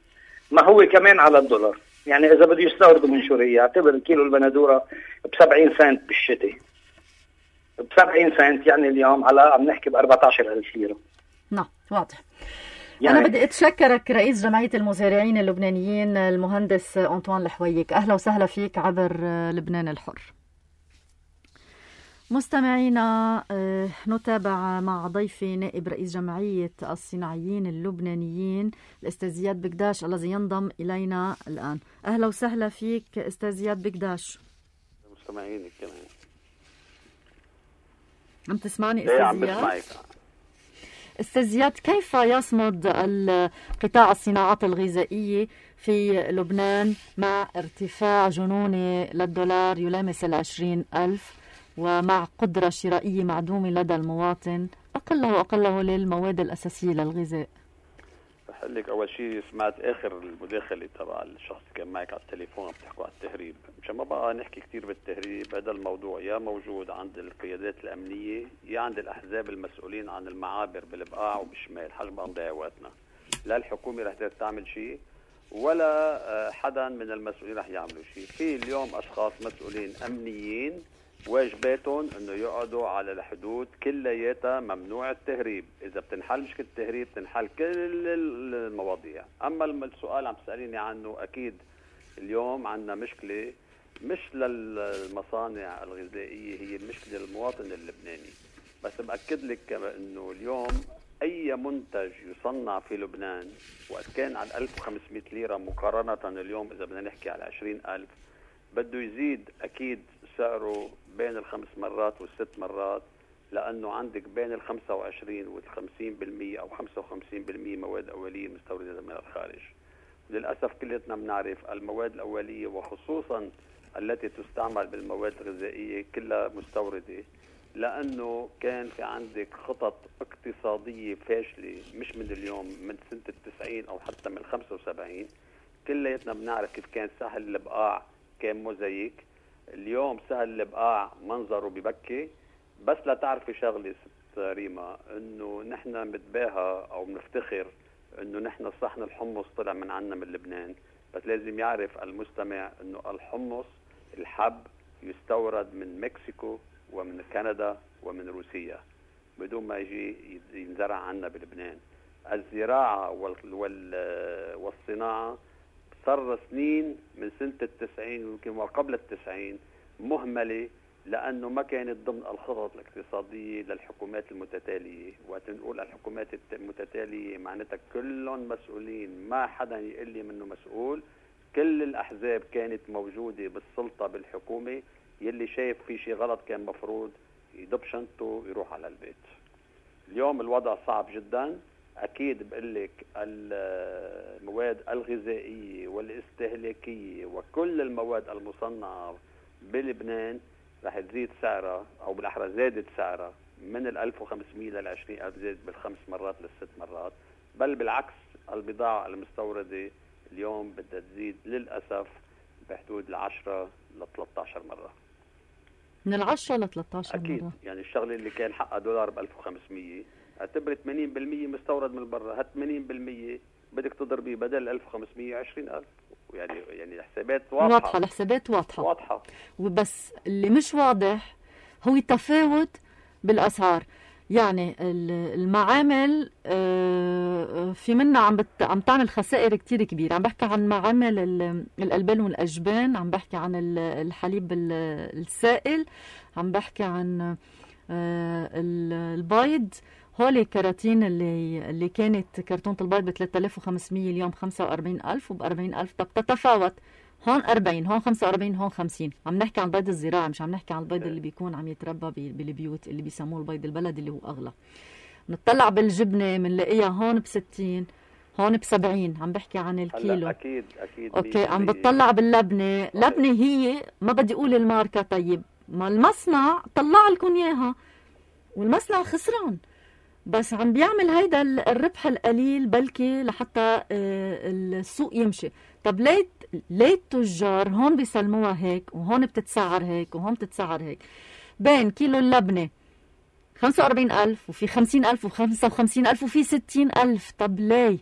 ما هو كمان على الدولار. يعني إذا بده يستوردوا من سوريا اعتبر كيلو البندورة بسبعين سنت بالشتاء بسبعين سنت يعني اليوم على عم نحكي بأربعة عشر ألف ليرة. نعم واضح. يعني أنا بدي أتشكرك رئيس جمعية المزارعين اللبنانيين المهندس أنطوان الحويك. أهلا وسهلا فيك عبر لبنان الحر. مستمعينا نتابع مع ضيفي نائب رئيس جمعية الصناعيين اللبنانيين الأستاذ زياد بقداش الذي ينضم إلينا الآن. أهلا وسهلا فيك أستاذ زياد بقداش. مستمعينك كمان. عم تسمعني أستاذ عم زياد؟ بسمعك. أستاذ زياد كيف يصمد قطاع الصناعات الغذائية في لبنان مع ارتفاع جنوني للدولار يلامس العشرين ألف ومع قدرة شرائية معدومة لدى المواطن أقله وأقله للمواد الأساسية للغذاء؟ رح أقول لك أول شيء سمعت آخر المداخلة تبع الشخص اللي كان معك على التليفون عم تحكوا على التهريب. مشان ما بقى نحكي كتير بالتهريب. هذا الموضوع يا موجود عند القيادات الأمنية يا عند الأحزاب المسؤولين عن المعابر بالبقاع وبالشمال. حاج بقى نضيع وقتنا. لا الحكومة رح تعمل شيء ولا حدا من المسؤولين رح يعملوا شيء. في اليوم أشخاص مسؤولين أمنيين واجباتهم انه يقعدوا على الحدود كلياتها ممنوع التهريب. اذا بتنحل مشكله التهريب بتنحل كل المواضيع. اما السؤال عم تساليني عنه اكيد اليوم عندنا مشكله مش للمصانع الغذائيه هي المشكله للمواطن اللبناني. بس باكد لك انه اليوم اي منتج يصنع في لبنان وقت كان على ألف وخمسمائة ليره مقارنه اليوم اذا بدنا نحكي على عشرين ألف بده يزيد اكيد سعره بين الخمس مرات والست مرات لأنه عندك بين الخمسة وعشرين والخمسين بالمية أو خمسة وخمسين بالمية مواد أولية مستوردة من الخارج. للأسف كلنا بنعرف المواد الأولية وخصوصا التي تستعمل بالمواد الغذائية كلها مستوردة لأنه كان في عندك خطط اقتصادية فاشلة مش من اليوم من سنة التسعين أو حتى من خمسة وسبعين. كلياتنا بنعرف كيف كان سهل البقاع كان موزايك. اليوم سهل البقاع منظره ببكي. بس لا تعرفي شغلة ست ريما، انه نحن بنتباهى او بنفتخر انه نحن صحن الحمص طلع من عنا من لبنان، بس لازم يعرف المستمع انه الحمص الحب يستورد من مكسيكو ومن كندا ومن روسيا بدون ما يجي ينزرع عنا بلبنان. الزراعة والصناعة صار سنين من سنة التسعين ويمكن وقبل التسعين مهملة، لأنه ما كانت ضمن الخطط الاقتصادية للحكومات المتتالية. وقت نقول الحكومات المتتالية معناتها كلهم مسؤولين، ما حدا يقول لي منه مسؤول. كل الأحزاب كانت موجودة بالسلطة بالحكومة، يلي شايف في شيء غلط كان مفروض يدب شنطه ويروح على البيت. اليوم الوضع صعب جدا. أكيد بقول لك المواد الغذائية والاستهلاكية وكل المواد المصنعة بلبنان رح تزيد سعرها، أو بالأحرى زادت سعرها من ال ألف وخمسمية لل عشرين ألف، زادت بالخمس مرات للست مرات. بل بالعكس البضاعة المستوردة اليوم بدها تزيد للأسف بحدود العشرة لثلاثة عشر مرة، من العشرة لثلاثة عشر أكيد. مرة. يعني الشغلة اللي كان حقها دولار ب ألف وخمسمية اعتبر ثمانين بالمية مستورد من برا، هات ثمانين بالمية بدك تضربي بدل ألف وخمسمية عشرين ألف. يعني يعني الحسابات واضحة واضحة الحسابات واضحة واضحة وبس اللي مش واضح هو التفاوت بالأسعار. يعني المعامل في منا عم بت... عم تعمل خسائر كتير كبيرة. عم بحكي عن معامل الألبان والأجبان، عم بحكي عن الحليب السائل، عم بحكي عن البيض. هولي كراتين اللي اللي كانت كرتونة البيض ب ثلاثة آلاف وخمسمية اليوم خمسة وأربعين ألف وب أربعين ألف. طب تتفاوت، هون أربعين، هون خمسة وأربعين، هون خمسين. عم نحكي عن البيض الزراعي، مش عم نحكي عن البيض اللي بيكون عم يتربى بالبيوت اللي بيسموه البيض البلدي اللي هو أغلى. نطلع بالجبنة منلاقيها هون بستين، هون بسبعين. عم بحكي عن الكيلو. أكيد أكيد. أوكي. عم بتطلع باللبنة، لبنة هي ما بدي أقول الماركة. طيب ما المصنع طلع لكم إياها والمصنع خسران، بس عم بيعمل هيدا الربح القليل بلكي لحتى السوق يمشي. طب ليه ليه التجار هون بيسلموها هيك وهون بتتسعر هيك وهون بتتسعر هيك؟ بين كيلو اللبنة خمسة وأربعين ألف وفي خمسين ألف وخمسة وخمسين ألف وفي ستين ألف. طب ليه؟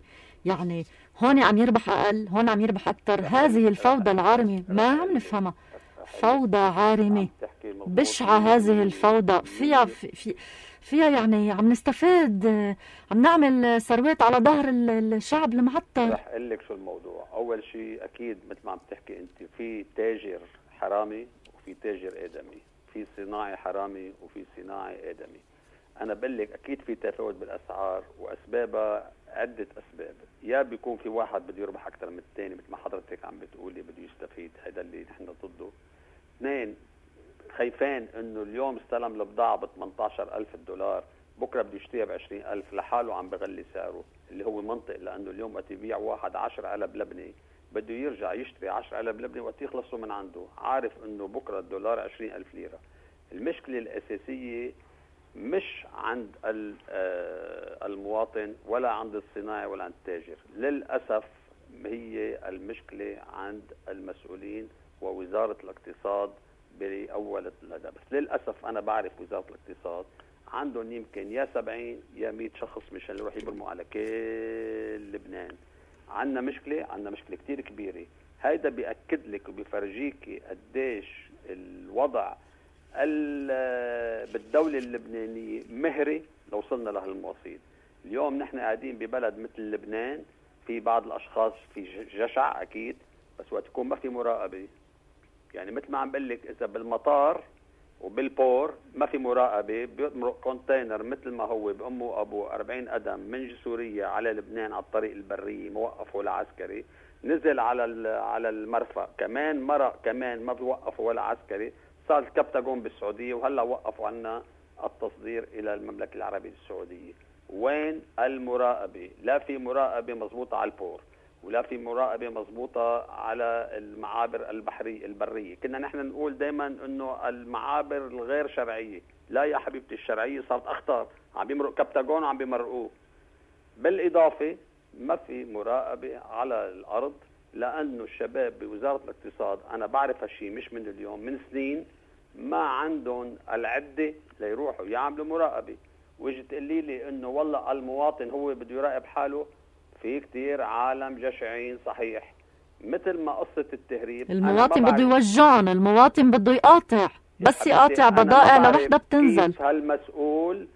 يعني هون عم يربح أقل، هون عم يربح أكتر. هذه الفوضى العارمة ما عم نفهمها. فوضى عارمة بشعة. هذه الفوضى فيها في, في فيها يعني عم نستفاد، عم نعمل ثروات على ظهر الشعب المعطل. رح اقول لك شو الموضوع. اول شيء اكيد مثل ما عم تحكي انت، في تاجر حرامي وفي تاجر ادمي، في صناعي حرامي وفي صناعي ادمي. انا بقول لك اكيد في تفاوت بالاسعار، واسبابها عده اسباب. يا بيكون في واحد بده يربح اكثر من الثاني مثل ما حضرتك عم بتقولي، بده يستفيد، هذا اللي نحن ضده. اثنين، خايفين انه اليوم استلم البضاعه ب ثمانية عشر ألف دولار، بكره بده يشتريها ب عشرين ألف، لحاله عم بغلي سعره، اللي هو منطق. لانه اليوم وقت يبيع واحد عشرة علب لبنه بده يرجع يشتري عشرة علب لبنه وقت يخلصوا من عنده، عارف انه بكره الدولار عشرين ألف ليره. المشكله الاساسيه مش عند المواطن ولا عند الصناعي ولا عند التاجر، للاسف هي المشكله عند المسؤولين ووزاره الاقتصاد بأول هذا. بس للأسف أنا بعرف وزارة الاقتصاد عندهم يمكن يا سبعين يا مئة شخص مشان يروح يبرموا على كل لبنان. عندنا مشكلة، عندنا مشكلة كتير كبيرة. هيدا بيأكد لك وبيفرجيك قديش الوضع بالدولة اللبنانية مهري لو وصلنا لهالمواصيل. اليوم نحن قاعدين ببلد مثل لبنان، في بعض الأشخاص في جشع أكيد، بس وقت يكون ما في مراقبة. يعني مثل ما عم بقول لك، اذا بالمطار وبالبور ما في مراقبه، بيمرق كونتينر مثل ما هو بامه وابوه أربعين قدم من سوريا على لبنان على الطريق البري موقف ولا عسكري، نزل على على المرفأ كمان مرق كمان ما بيوقفوا ولا عسكري، صار الكبتاغون بالسعوديه وهلا وقفوا عنا التصدير الى المملكه العربيه السعوديه. وين المراقبه؟ لا في مراقبه مضبوطه على البور، ولا في مراقبة مضبوطة على المعابر البحرية البرية. كنا نحن نقول دايما انه المعابر الغير شرعية، لا يا حبيبتي الشرعية صارت اخطر، عم بيمرق كبتاغون وعم بيمرقوه. بالاضافة ما في مراقبة على الارض لأنه الشباب بوزارة الاقتصاد أنا بعرف هالشي مش من اليوم، من سنين ما عندهم العدة ليروحوا يعملوا مراقبة. ويجي تقولي لي إنه والله المواطن هو بده يراقب حاله. في كتير عالم جشعين صحيح، مثل ما قصة التهريب المواطن بده يوجعهم، المواطن بده يقاطع، بس يقاطع بضائع لوحدة بتنزل. هالمسؤول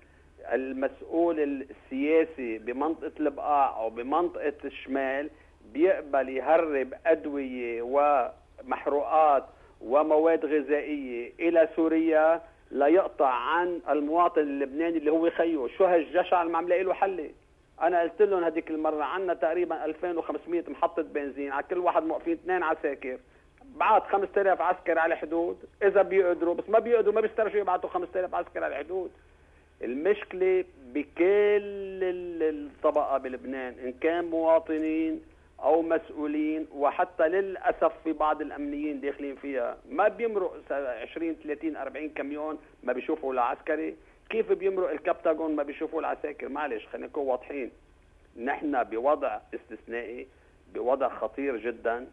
المسؤول السياسي بمنطقة البقاع أو بمنطقة الشمال بيقبل يهرب أدوية ومحروقات ومواد غذائية إلى سوريا ليقطع عن المواطن اللبناني اللي هو خيو. شو هالجشع اللي عم لاقي له حل؟ أنا قلت لهم هذيك المرة عنا تقريبا ألفين وخمسمية محطة بنزين، على كل واحد موقفين اثنين عساكر، بعت خمسة آلاف عسكر على الحدود إذا بيقدروا، بس ما بيقدروا ما بيسترجوا يبعتوا خمسة آلاف عسكر على الحدود. المشكلة بكل الطبقة بلبنان إن كان مواطنين أو مسؤولين، وحتى للأسف في بعض الأمنيين داخلين فيها ما بيمرق عشرين ثلاثين أربعين كميون ما بيشوفوا العسكري. كيف بيمرق الكبتاغون ما بيشوفوا العساكر؟ معلش خلينا نكون واضحين، نحن بوضع استثنائي، بوضع خطير جدا،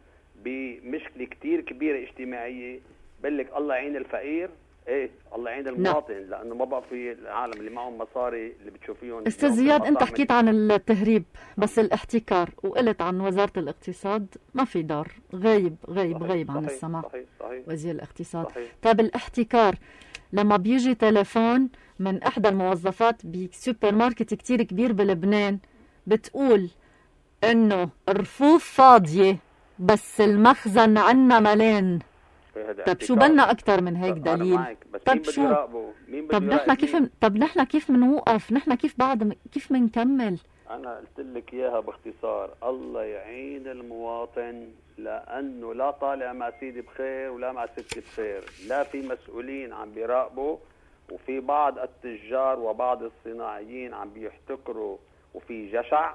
بمشكلة كتير كبيرة اجتماعية. بقول لك الله يعين الفقير، ايه الله يعين المواطن، لا. لانه ما بقى في العالم اللي معهم مصاري اللي بتشوفيهم. استاذ زياد، انت حكيت عن التهريب بس الاحتكار، وقلت عن وزارة الاقتصاد ما في دار، غايب غايب صحيح غايب عن صحيح السماع. صحيح صحيح وزير الاقتصاد صحيح. طيب الاحتكار لما بيجي تليفون من احدى الموظفات بسوبر ماركت كتير كبير بلبنان بتقول انه الرفوف فاضية بس المخزن عنا ملان، طب شو بدنا اكثر من هيك دليل؟ طب شو مين بده طب نحن كيف طب نحن كيف بنوقف؟ نحن كيف بعد كيف بنكمل؟ انا قلت لك اياها باختصار، الله يعين المواطن، لانه لا طالع مع سيدي بخير ولا مع ستي بخير، لا في مسؤولين عم بيراقبوا، وفي بعض التجار وبعض الصناعيين عم بيحتكروا، وفي جشع.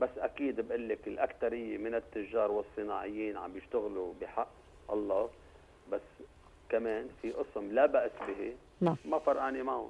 بس اكيد بقول لك الاكثريه من التجار والصناعيين عم بيشتغلوا بحق الله، بس كمان في قسم لا بأس به لا. ما فرقاني معهم.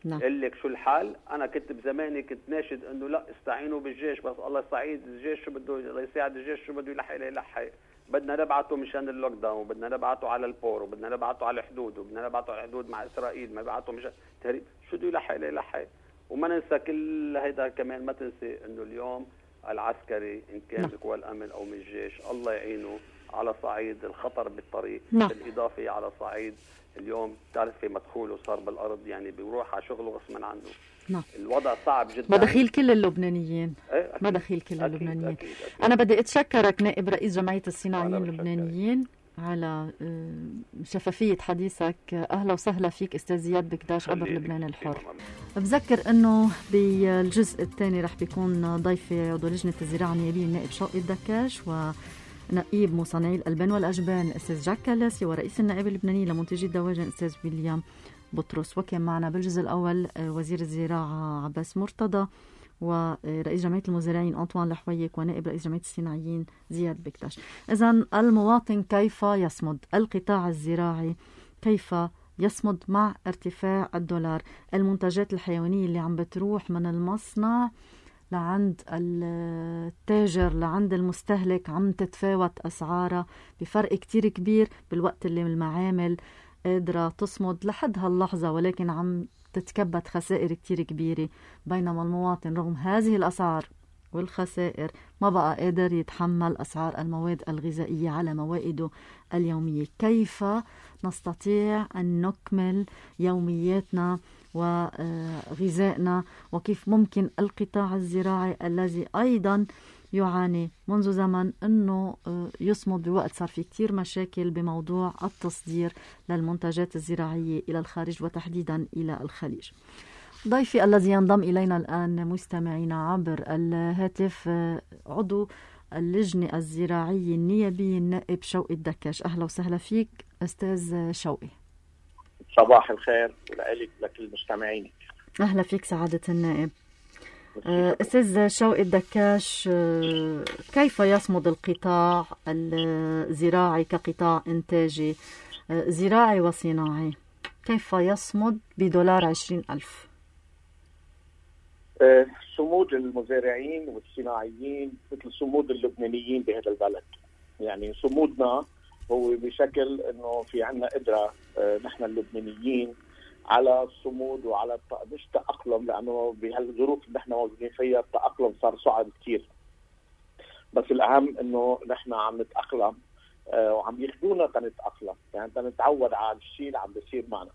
نعم. قل لك شو الحال؟ انا كنت بزماني كنت ناشد انه لا استعينوا بالجيش، بس الله يساعد الجيش، شو بده الله يساعد الجيش، شو بده يلحق يلحق، بدنا نبعته مشان اللوك داون، وبدنا نبعته على البور، وبدنا نبعته على الحدود، وبدنا نبعته على الحدود مع اسرائيل، ما نبعته مشان تهريب، شو بده يلحق يلحق. وما ننسى كل هيدا كمان، ما تنسي انه اليوم العسكري ان كان بقوى الامن او من الجيش الله يعينه على صعيد الخطر بالطريق، نعم. بالإضافة على صعيد اليوم تعرفي مدخوله صار بالأرض، يعني بيروح على شغله غصبا عنه. نعم. الوضع صعب جدا، مداخيل كل اللبنانيين. ايه مداخيل كل أكيد اللبنانيين. أكيد أكيد. أنا بدي أتشكرك نائب رئيس جمعية الصناعيين اللبنانيين على شفافية حديثك. أهلا وسهلا فيك أستاذ زياد بكداش عبر لبنان الحر. بذكر أنه بالجزء الثاني رح بيكون ضيفي عضو لجنة الزراعة النيابية النائب شوقي الدكاش، و نقيب مصنعي الألبان والأجبان أستاذ جاك كالاسي، ورئيس النائب اللبناني لمنتجي الدواجن أستاذ ويليام بطرس. وكان معنا بالجزء الأول وزير الزراعة عباس مرتضى، ورئيس جمعية المزارعين أنطوان لحويك، ونائب رئيس جمعية الصناعيين زياد بكداش. إذن المواطن كيف يصمد؟ القطاع الزراعي كيف يصمد مع ارتفاع الدولار؟ المنتجات الحيوانية اللي عم بتروح من المصنع لعند التاجر لعند المستهلك عم تتفاوت أسعارها بفرق كتير كبير، بالوقت اللي المعامل قادرة تصمد لحد هاللحظة، ولكن عم تتكبد خسائر كتير كبيرة، بينما المواطن رغم هذه الأسعار والخسائر ما بقى قادر يتحمل أسعار المواد الغذائية على موائده اليومية. كيف نستطيع أن نكمل يومياتنا وغذائنا، وكيف ممكن القطاع الزراعي الذي أيضا يعاني منذ زمن أنه يصمد بوقت صار في كتير مشاكل بموضوع التصدير للمنتجات الزراعية إلى الخارج وتحديدا إلى الخليج. ضيفي الذي ينضم إلينا الآن مستمعينا عبر الهاتف عضو اللجنة الزراعية النيابية النائب شوقي الدكاش. أهلا وسهلا فيك أستاذ شوقي. صباح الخير لك لكل مستمعينك. أهلا فيك سعادة النائب. أستاذ شوقي الدكاش، كيف يصمد القطاع الزراعي كقطاع إنتاجي زراعي وصناعي؟ كيف يصمد بدولار عشرين ألف؟ صمود المزارعين والصناعيين مثل صمود اللبنانيين بهذا البلد. يعني صمودنا هو بشكل انه في عنا قدره آه نحن اللبنانيين على الصمود وعلى مش تاقلم، لانه بهالظروف اللي نحن موجودين فيها التاقلم صار صعب كثير. بس الاهم انه نحن عم نتاقلم آه وعم ياخذونا تنتاقلم، يعني تنتعود على الشيء اللي عم بيصير معنا.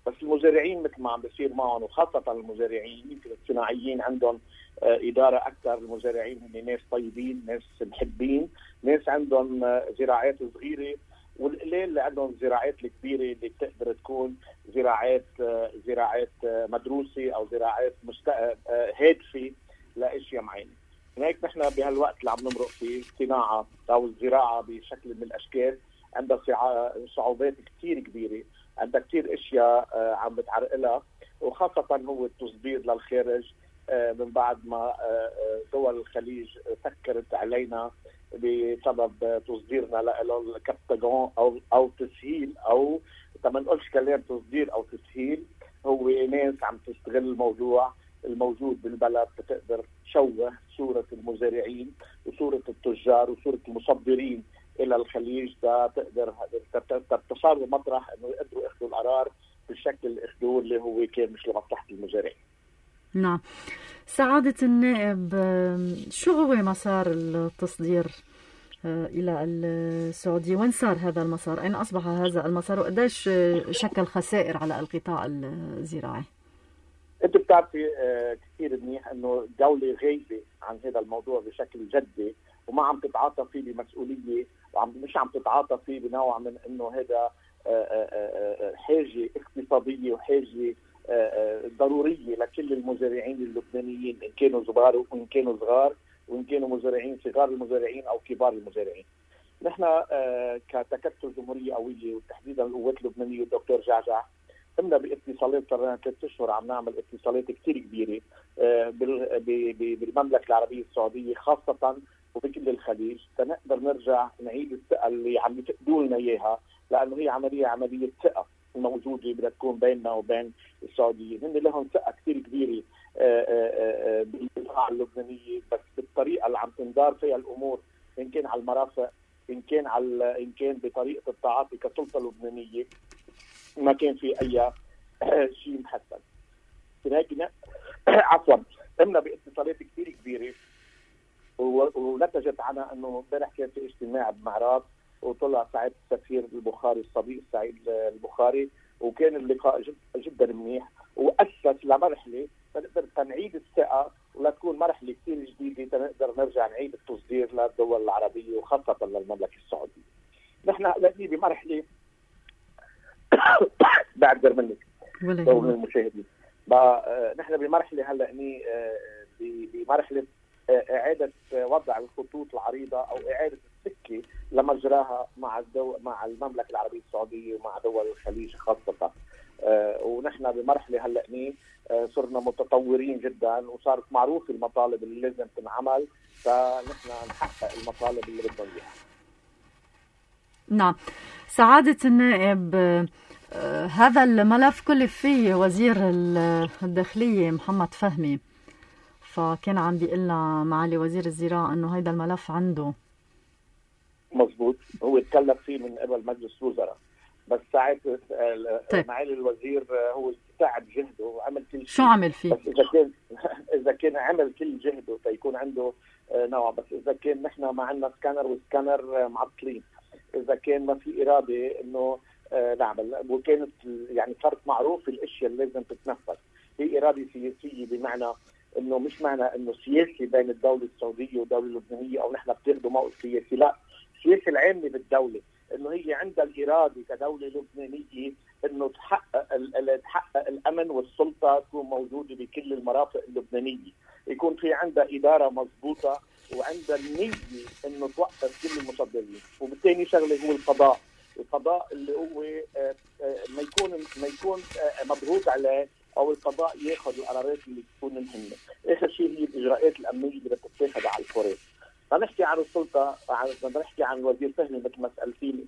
بس المزارعين مثل ما عم بيصير معهم، وخاصه المزارعين يمكن الصناعيين عندهم آه اداره اكثر. المزارعين هم ناس طيبين، ناس محبين، ناس عندهم آه زراعات صغيره، والقليل اللي عندهم الزراعات الكبيره اللي بتقدر تكون زراعات آه زراعات آه مدروسه او زراعات مست... آه هادفه لاشياء معينه. هيك نحن بهالوقت اللي عم نمرق فيه الصناعه او الزراعه بشكل من الاشكال عندها صعوبات كثير كبيره، عندها كثير اشياء آه عم بتعرقلها، وخاصه هو التصدير للخارج آه من بعد ما آه دول الخليج سكرت علينا بسبب تصديرنا له الكبتاجون او او تسهيل، او ما نقولش كلام تصدير او تسهيل، هو ناس عم تستغل الموضوع الموجود بالبلد بتقدر تشوه صوره المزارعين وصوره التجار وصوره المصدرين الى الخليج، تقدر تصار مطرح انه يقدروا ياخذوا القرار بالشكل اللي اخذوه اللي هو كان مش لمصلحه المزارعين. نعم. سعادة النائب، شو هو مسار التصدير إلى السعودية؟ وين صار هذا المسار؟ أين أصبح هذا المسار؟ وقديش شكل خسائر على القطاع الزراعي؟ أنت بتعرفي كثير منيح أنه الدولة غايبة عن هذا الموضوع بشكل جدي، وما عم تتعاطى فيه بمسؤولية، وعم مش عم تتعاطى فيه بنوع من أنه هذا حاجة اقتصادية وحاجة ضرورية لكل المزارعين اللبنانيين، إن كانوا صغار وإن كانوا صغار وإن كانوا مزارعين صغار المزارعين أو كبار المزارعين. نحن كتكتل جمهورية قوية وتحديدا القوات اللبنانية والدكتور جعجع قمنا باتصالات، صرنا ثلاث اشهر عم نعمل اتصالات كثير كبيره بالمملكه العربيه السعوديه خاصه وبكل الخليج، تنقدر نرجع نعيد الثقه اللي عم يفقدوا لنا اياها، لانه هي عمليه عمليه ثقه موجوده بدها تكون بيننا وبين السعوديين. هن لهم ثقه كثير كبيره بالقطاع اللبنانيه، بس بالطريقه اللي عم تندار فيها الامور، ان كان على المرافق، ان كان على ان كان بطريقه التعاطي كسلطه لبنانيه، ما كان في اي شيء محسن. لكن عفوا قمنا باتصالات كثير كبيره ونتجت عنها انه امبارح كان في اجتماع بمعراض وطلع سعيد السفير البخاري الصديق سعيد البخاري، وكان اللقاء جد جدا منيح واسس لمرحله تقدر تنعيد الثقه ولتكون مرحله كثير جديده تنقدر نرجع نعيد التصدير للدول العربيه وخاصه للمملكه السعوديه. نحن هلا بمرحله بعذر منك ومن المشاهدين، نحن بمرحله هلا اني بمرحله اعاده وضع الخطوط العريضه او اعاده السكه لمجراها مع الدو... مع المملكه العربيه السعوديه ومع دول الخليج خاصه. ونحن بمرحله هلا اني صرنا متطورين جدا وصارت معروفه المطالب اللي لازم تنعمل، فنحن نحقق المطالب اللي بدنا اياها. نعم. سعادة النائب، هذا الملف كلف فيه وزير الداخلية محمد فهمي، فكان عم بيقلنا معالي وزير الزراعة انه هيدا الملف عنده. مزبوط، هو اتكلف فيه من قبل مجلس الوزراء، بس ساعة طيب. معالي الوزير هو تعب جهده وعمل كل شيء. شو عمل فيه؟ بس اذا كان اذا كان عمل كل جهده فيكون عنده نوع، بس اذا كان نحن ما عندنا سكانر والسكانر معطلين، اذا كان ما في اراده انه نعمل، وكانت يعني صارت معروف الاشياء اللي لازم تتنفذ، هي اراده سياسيه، بمعنى انه مش معنى انه سياسي بين الدوله السعوديه والدوله اللبنانيه او نحن بتاخذوا موقف سياسي، لا، السياسه العامه بالدوله انه هي عندها الاراده كدوله لبنانيه انه تحقق تحقق الامن والسلطه تكون موجوده بكل المرافق اللبنانيه، يكون في عندها اداره مضبوطه وعندها النيه انه توقف كل المصدرين. وبالتالي شغله هو القضاء، القضاء اللي هو ما يكون ما يكون مضغوط عليه او القضاء ياخذ القرارات اللي تكون مهمه. اخر شيء هي الاجراءات الامنيه اللي بدها تتاخذ على الفور. فنحكي عن السلطه، بدنا نحكي عن الوزير فهمي مثل ما سالتيني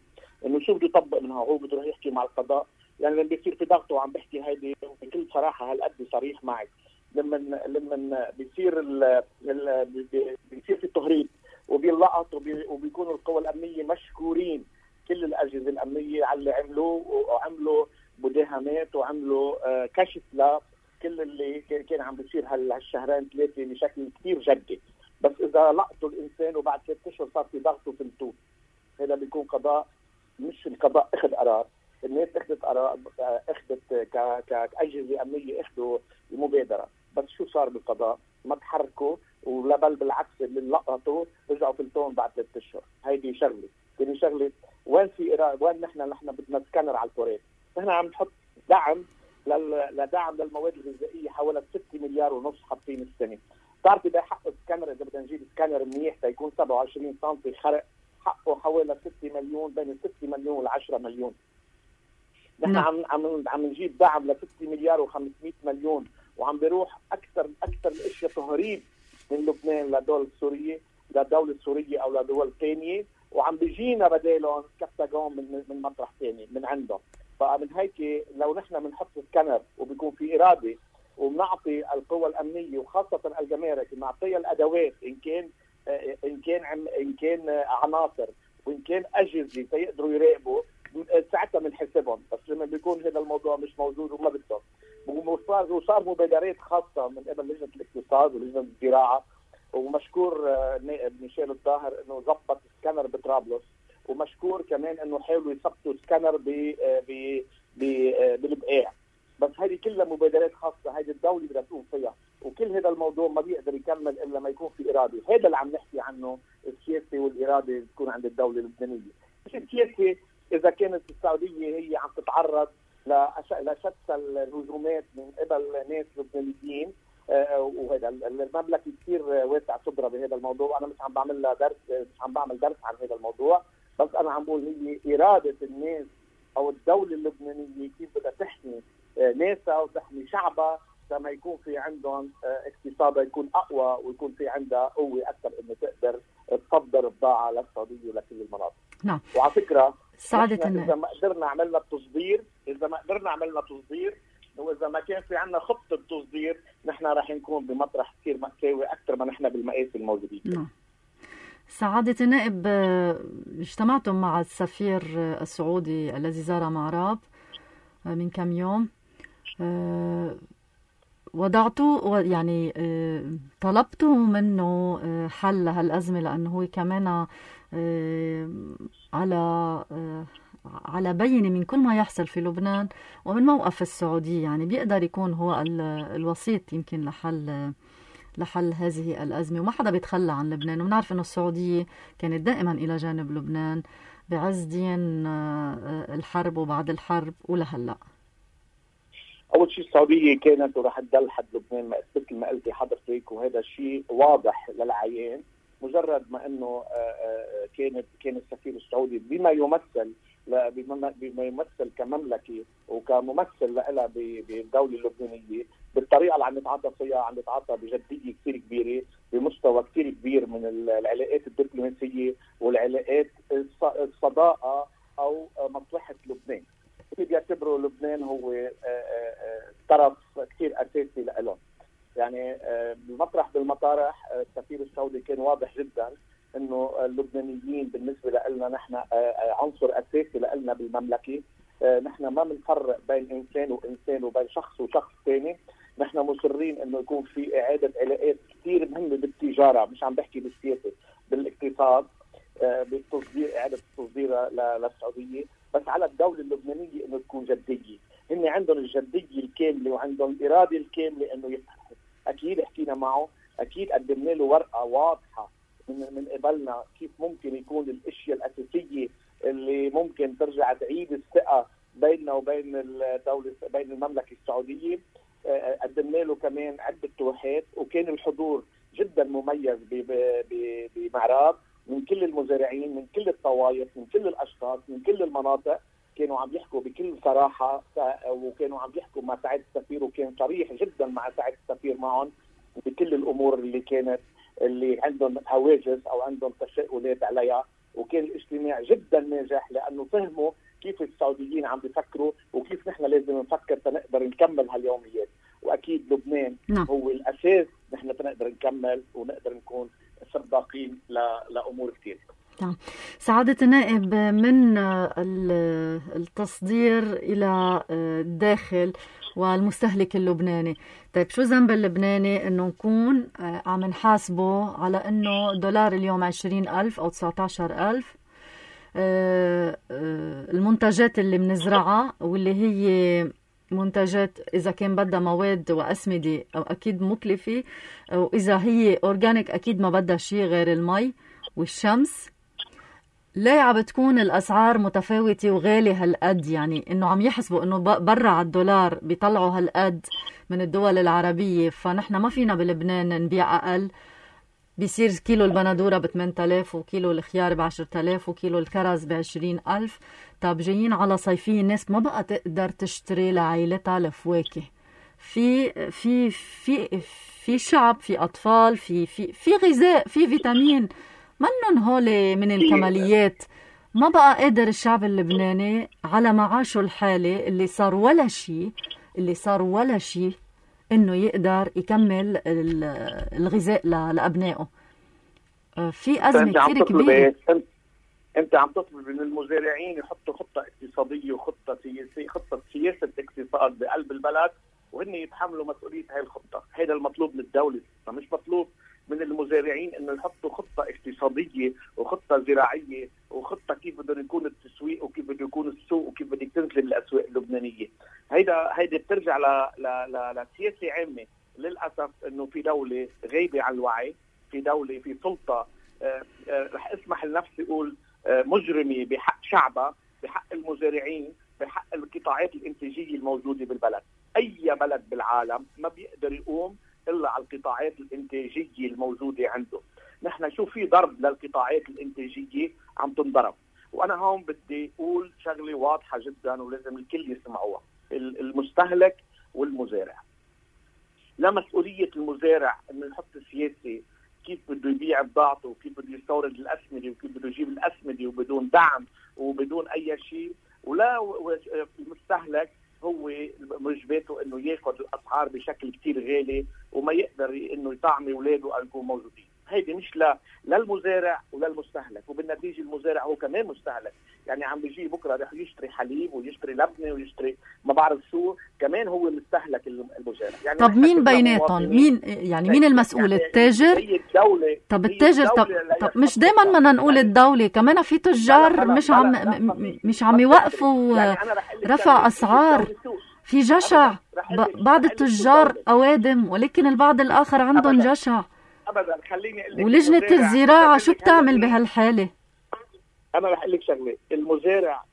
انه شو بده يطبق منها، هو بده يروح يحكي مع القضاء، يعني لما بيصير في ضغط وعم بحكي هيدي بكل صراحه هالقد صريح معك، لما لما بيصير ال... ال... بيصير في تهريب وبينلقط وبي وبيكونوا القوى الامنيه مشكورين، كل الاجهزه الامنيه على اللي عملوه، وعملوا مداهمات وعملوا آه كشف لكل اللي كان عم بيصير هالشهرين ثلاثه بشكل كثير جدي. بس اذا لقطوا الانسان وبعد ثلاث اشهر صار في ضغط وفلتوه، هذا بيكون قضاء، مش القضاء اخذ قرار، الناس اخذت قرار، اخذت كاجهزه امنيه اخذوا المبادره، بس شو صار بالقضاء؟ ما تحركوا، ولا بل بالعكس اللي لقطوا رجعوا فلتون بعد ثلاث اشهر. هيدي شغله، ثاني شغله وين في إرادة؟ وين نحن نحن بدنا سكانر على الكوريت؟ نحن عم نحط دعم لدعم للمواد الغذائيه حوالي ستة مليار ونص حاطين السنه. بتعرفي ده حق السكانر، اذا بدنا نجيب سكانر منيح تيكون سبعة وعشرين سم خرق، حقه حوالي ستة مليون، بين ستة مليون و10 مليون. نحن عم عم عم نجيب دعم ل ستة مليار وخمسمئة مليون، وعم بيروح اكثر اكثر الاشياء تهريب من لبنان للدول السوريه، للدوله السوريه او لدول ثانيه، وعم بيجينا بدالهم كبتاجون من من مطرح ثاني من عندهم. فمن هيك لو نحن بنحط سكانر وبيكون في اراده وبنعطي القوى الامنيه وخاصه الجمارك بنعطيها الادوات، ان كان ان كان ان كان عناصر وان كان اجهزه سيقدروا يراقبوا، ساعتها بنحسبهم. بس لما بيكون هذا الموضوع مش موجود وما بدهم، وصار وصار مبادرات خاصه من قبل لجنه الاقتصاد ولجنه الزراعه، ومشكور النائب ميشيل الظاهر انه ضبط سكانر بطرابلس، ومشكور كمان انه حاولوا يثبتوا سكانر ب ب بالبقاع. بس هذه كلها مبادرات خاصه، هذه الدوله بدها تقوم فيها، وكل هذا الموضوع ما بيقدر يكمل الا ما يكون في اراده. هذا اللي عم نحكي عنه، السياسه والاراده تكون عند الدوله اللبنانيه. مش السياسه اذا كانت السعوديه هي عم تتعرض لشتى الهجومات من قبل ناس لبنانيين، آه وهذا المملكه كثير واسع صدرها بهذا الموضوع، وانا مش عم بعمل لها درس، مش عم بعمل درس عن هذا الموضوع، بس انا عم بقول هي اراده الناس او الدوله اللبنانيه كيف بدها تحمي آه ناسها وتحمي شعبها لما يكون في عندهم آه اقتصادها يكون اقوى، ويكون في عندها قوه اكثر انه تقدر تصدر بضاعه للسعوديه ولكل المناطق. نعم. وعلى فكره سعادتنا اذا ما قدرنا عملنا التصدير، اذا ما قدرنا عملنا تصدير واذا ما كان في عندنا خطه تصدير، نحن راح نكون بمطرح كثير مأساوي اكثر ما نحن بالمقاس الموجودين. نعم. سعادة النائب، اجتمعتم مع السفير السعودي الذي زار معراب من كم يوم، وضعتوا يعني طلبتوا منه حل هالأزمة، لأنه هو كمان على على بينة من كل ما يحصل في لبنان ومن موقف السعودية، يعني بيقدر يكون هو الوسيط يمكن لحل لحل هذه الأزمة، وما حدا بيتخلى عن لبنان. ونعرف أنه السعودية كانت دائما إلى جانب لبنان بعز دين الحرب وبعد الحرب ولهلأ. أول شيء السعودية كانت وراح تضل حد لبنان مثل ما قلتي حضرتك، وهذا الشيء واضح للعيان. مجرد ما انه كانت كان السفير السعودي بما يمثل بما يمثل كمملكه وكممثل لها بالدوله اللبنانيه، بالطريقه اللي عم نتعاطى فيها، عم نتعاطى بجديه كثير كبيره، بمستوى كثير كبير من العلاقات الدبلوماسيه والعلاقات الصداقه او مصلحه لبنان. اللي بيعتبروا لبنان هو طرف كثير اساسي لهم. يعني بالمطرح بالمطارح السفير السعودي كان واضح جدا انه اللبنانيين بالنسبه لنا نحن عنصر اساسي لنا بالمملكه. نحن ما بنفرق بين انسان وانسان وبين شخص وشخص ثاني. نحن مصرين انه يكون في اعاده علاقات كثير مهمه بالتجاره، مش عم بحكي بالسياسه، بالاقتصاد، بالتصدير، اعاده التصدير للسعوديه، بس على الدوله اللبنانيه انه تكون جديه. هن عندهم الجديه الكامله وعندهم الاراده الكامله انه يفتحوا. اكيد حكينا معه، اكيد قدمنا له ورقه واضحه من من قبلنا كيف ممكن يكون الاشياء الاساسيه اللي ممكن ترجع تعيد الثقه بيننا وبين الدوله بين المملكه السعوديه. قدمنا له كمان عده توحات، وكان الحضور جدا مميز بمعراب من كل المزارعين، من كل الطوائف، من كل الاشخاص، من كل المناطق. كانوا عم يحكوا بكل صراحه، وكانوا عم يحكوا مع سعاده السفير، وكان صريح جدا مع سعاده السفير معهم بكل الامور اللي كانت اللي عندهم هواجس او عندهم تساؤلات عليها. وكان الاجتماع جدا ناجح لانه فهموا كيف السعوديين عم بيفكروا وكيف نحن لازم نفكر تنقدر نكمل هاليوميات. واكيد لبنان نعم. هو الاساس نحن تنقدر نكمل ونقدر نكون سباقين لامور كثير. نعم. سعادة النائب، من التصدير إلى الداخل والمستهلك اللبناني، طيب شو ذنب اللبناني إنه نكون عم نحاسبه على إنه دولار اليوم عشرين ألف أو تسعة عشر ألف؟ المنتجات اللي بنزرعها واللي هي منتجات إذا كان بدها مواد وأسمدة أو أكيد مكلفة، وإذا هي أورجانيك أكيد ما بدها شيء غير المي والشمس. ليه عم بتكون الأسعار متفاوتة وغالية هالقد؟ يعني إنه عم يحسبوا إنه برا على الدولار بيطلعوا هالقد من الدول العربية، فنحن ما فينا بلبنان نبيع أقل. بيصير كيلو البندورة بثمانية آلاف وكيلو الخيار بعشرة آلاف وكيلو الكرز بعشرين ألف. طب جايين على صيفية الناس ما بقى تقدر تشتري لعائلتها الفواكه. في في في في شعب، في أطفال، في في في غذاء، في فيتامين، منن هولي من الكماليات. ما بقى قادر الشعب اللبناني على معاشه الحالي اللي صار ولا شيء اللي صار ولا شيء إنه يقدر يكمل الغذاء لأبنائه. في أزمة كثير كبيرة. أنت عم تطلب من المزارعين يحطوا خطة اقتصادية وخطة سياسية، خطة سياسة اقتصاد بقلب البلد، وهن يتحملوا مسؤولية هاي الخطة. هذا المطلوب من الدولة، فمش مطلوب من المزارعين إنه يحطوا خطة اقتصادية وخطة زراعية وخطة كيف بده يكون التسويق وكيف بده يكون السوق وكيف بدك تنزل الأسواق اللبنانية. هيدا هيدا بترجع ل ل ل لسياسة عامة. للأسف إنه في دولة غايبة عن الوعي، في دولة في سلطة آه آه رح اسمح لنفسي أقول آه مجرمة بحق شعبها، بحق المزارعين، بحق القطاعات الإنتاجية الموجودة بالبلد. أي بلد بالعالم ما بيقدر يقوم إلا على القطاعات الإنتاجية الموجودة عنده. نحن شو في ضرب للقطاعات الإنتاجية عم تنضرب. وأنا هون بدي أقول شغلة واضحة جدا ولازم الكل يسمعوها. المستهلك والمزارع، لا مسؤولية المزارع إنه يحط سياسة كيف بده يبيع بضاعته وكيف بده يستورد الأسمدة وكيف بده يجيب الأسمدة وبدون دعم وبدون أي شيء، ولا المستهلك هو واجباته انه ياخذ الاسعار بشكل كتير غالي وما يقدر انه يطعم اولاده ان يكونوا موجودين. هيدي مش لا للمزارع ولا المستهلك، وبالنتيجه المزارع هو كمان مستهلك. يعني عم بيجي بكره رح يشتري حليب ويشتري لبنه ويشتري ما بعرف شو، كمان هو مستهلك المزارع. يعني طب مين بيناتهم؟ مين يعني مين المسؤول؟ يعني التاجر؟ هي الدولة. طب التاجر. طب, طب مش دائما بدنا نقول الدولة، كمان في تجار مش عم مش عم يوقفوا يعني رفع اسعار. في جشع. بعض التجار اوادم ولكن البعض الاخر عندهم جشع. ابدا. خليني اقول لك ولجنة الزراعة شو بتعمل بهالحالة؟ انا رح اقول لك شغله. المزارع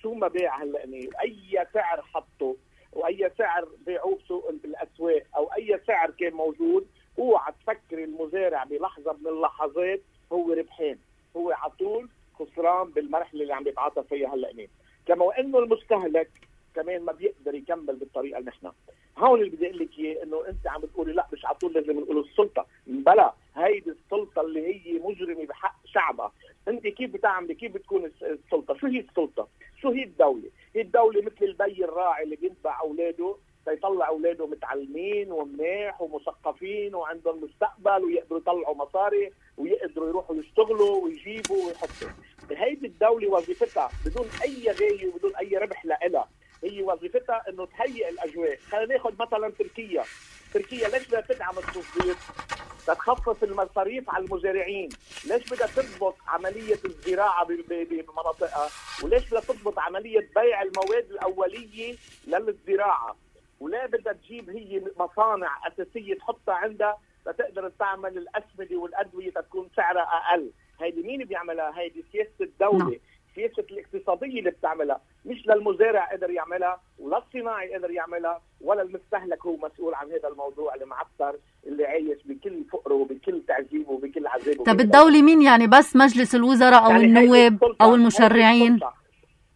شو ما بيع هلا، اي سعر حطه واي سعر بيعوه بسوق بالاسواق او اي سعر كان موجود، اوعى تفكر المزارع بلحظه من اللحظات هو ربحان. هو على طول خسران بالمرحله اللي عم بيتعاطى فيها هلا. كما وانه المستهلك كمان ما بيقدر يكمل بالطريقه اللي نحن. هون اللي بدي اقول لك اياه انه انت عم بتقولي لا مش على طول لازم نقول السلطه. بلا، هيدي السلطه اللي هي مجرمه بحق شعبها. انت كيف بتعملي؟ كيف بتكون السلطه؟ شو هي السلطه؟ شو هي الدوله؟ هي الدوله مثل البي الراعي اللي بيتبع اولاده ليطلع اولاده متعلمين ومناح ومثقفين وعندهم مستقبل ويقدروا يطلعوا مصاري ويقدروا يروحوا يشتغلوا ويجيبوا ويحطوا. هيدي الدوله وظيفتها بدون اي غايه وبدون اي ربح لها، هي وظيفتها انه تهيئ الاجواء. خلينا ناخذ مثلا تركيا. تركيا ليش بدها تدعم التصدير؟ تخفف المصاريف على المزارعين. ليش بدها تضبط عمليه الزراعه بمناطقها؟ وليش بدها تضبط عمليه بيع المواد الاوليه للزراعه؟ ولا بدها تجيب هي مصانع اساسيه تحطها عندها لتقدر تعمل الاسمده والادويه تكون سعرها اقل؟ هيدي مين بيعملها؟ هيدي سياسه الدوله. no. سياسة الاقتصادية اللي بتعملها، مش للمزارع قدر يعملها ولا الصناعي قدر يعملها ولا المستهلك هو مسؤول عن هذا الموضوع المعطر اللي عايش بكل فقره وبكل تعذيبه وبكل عذابه. طب الدولة مين يعني؟ بس مجلس الوزراء أو يعني النواب أو المشرعين؟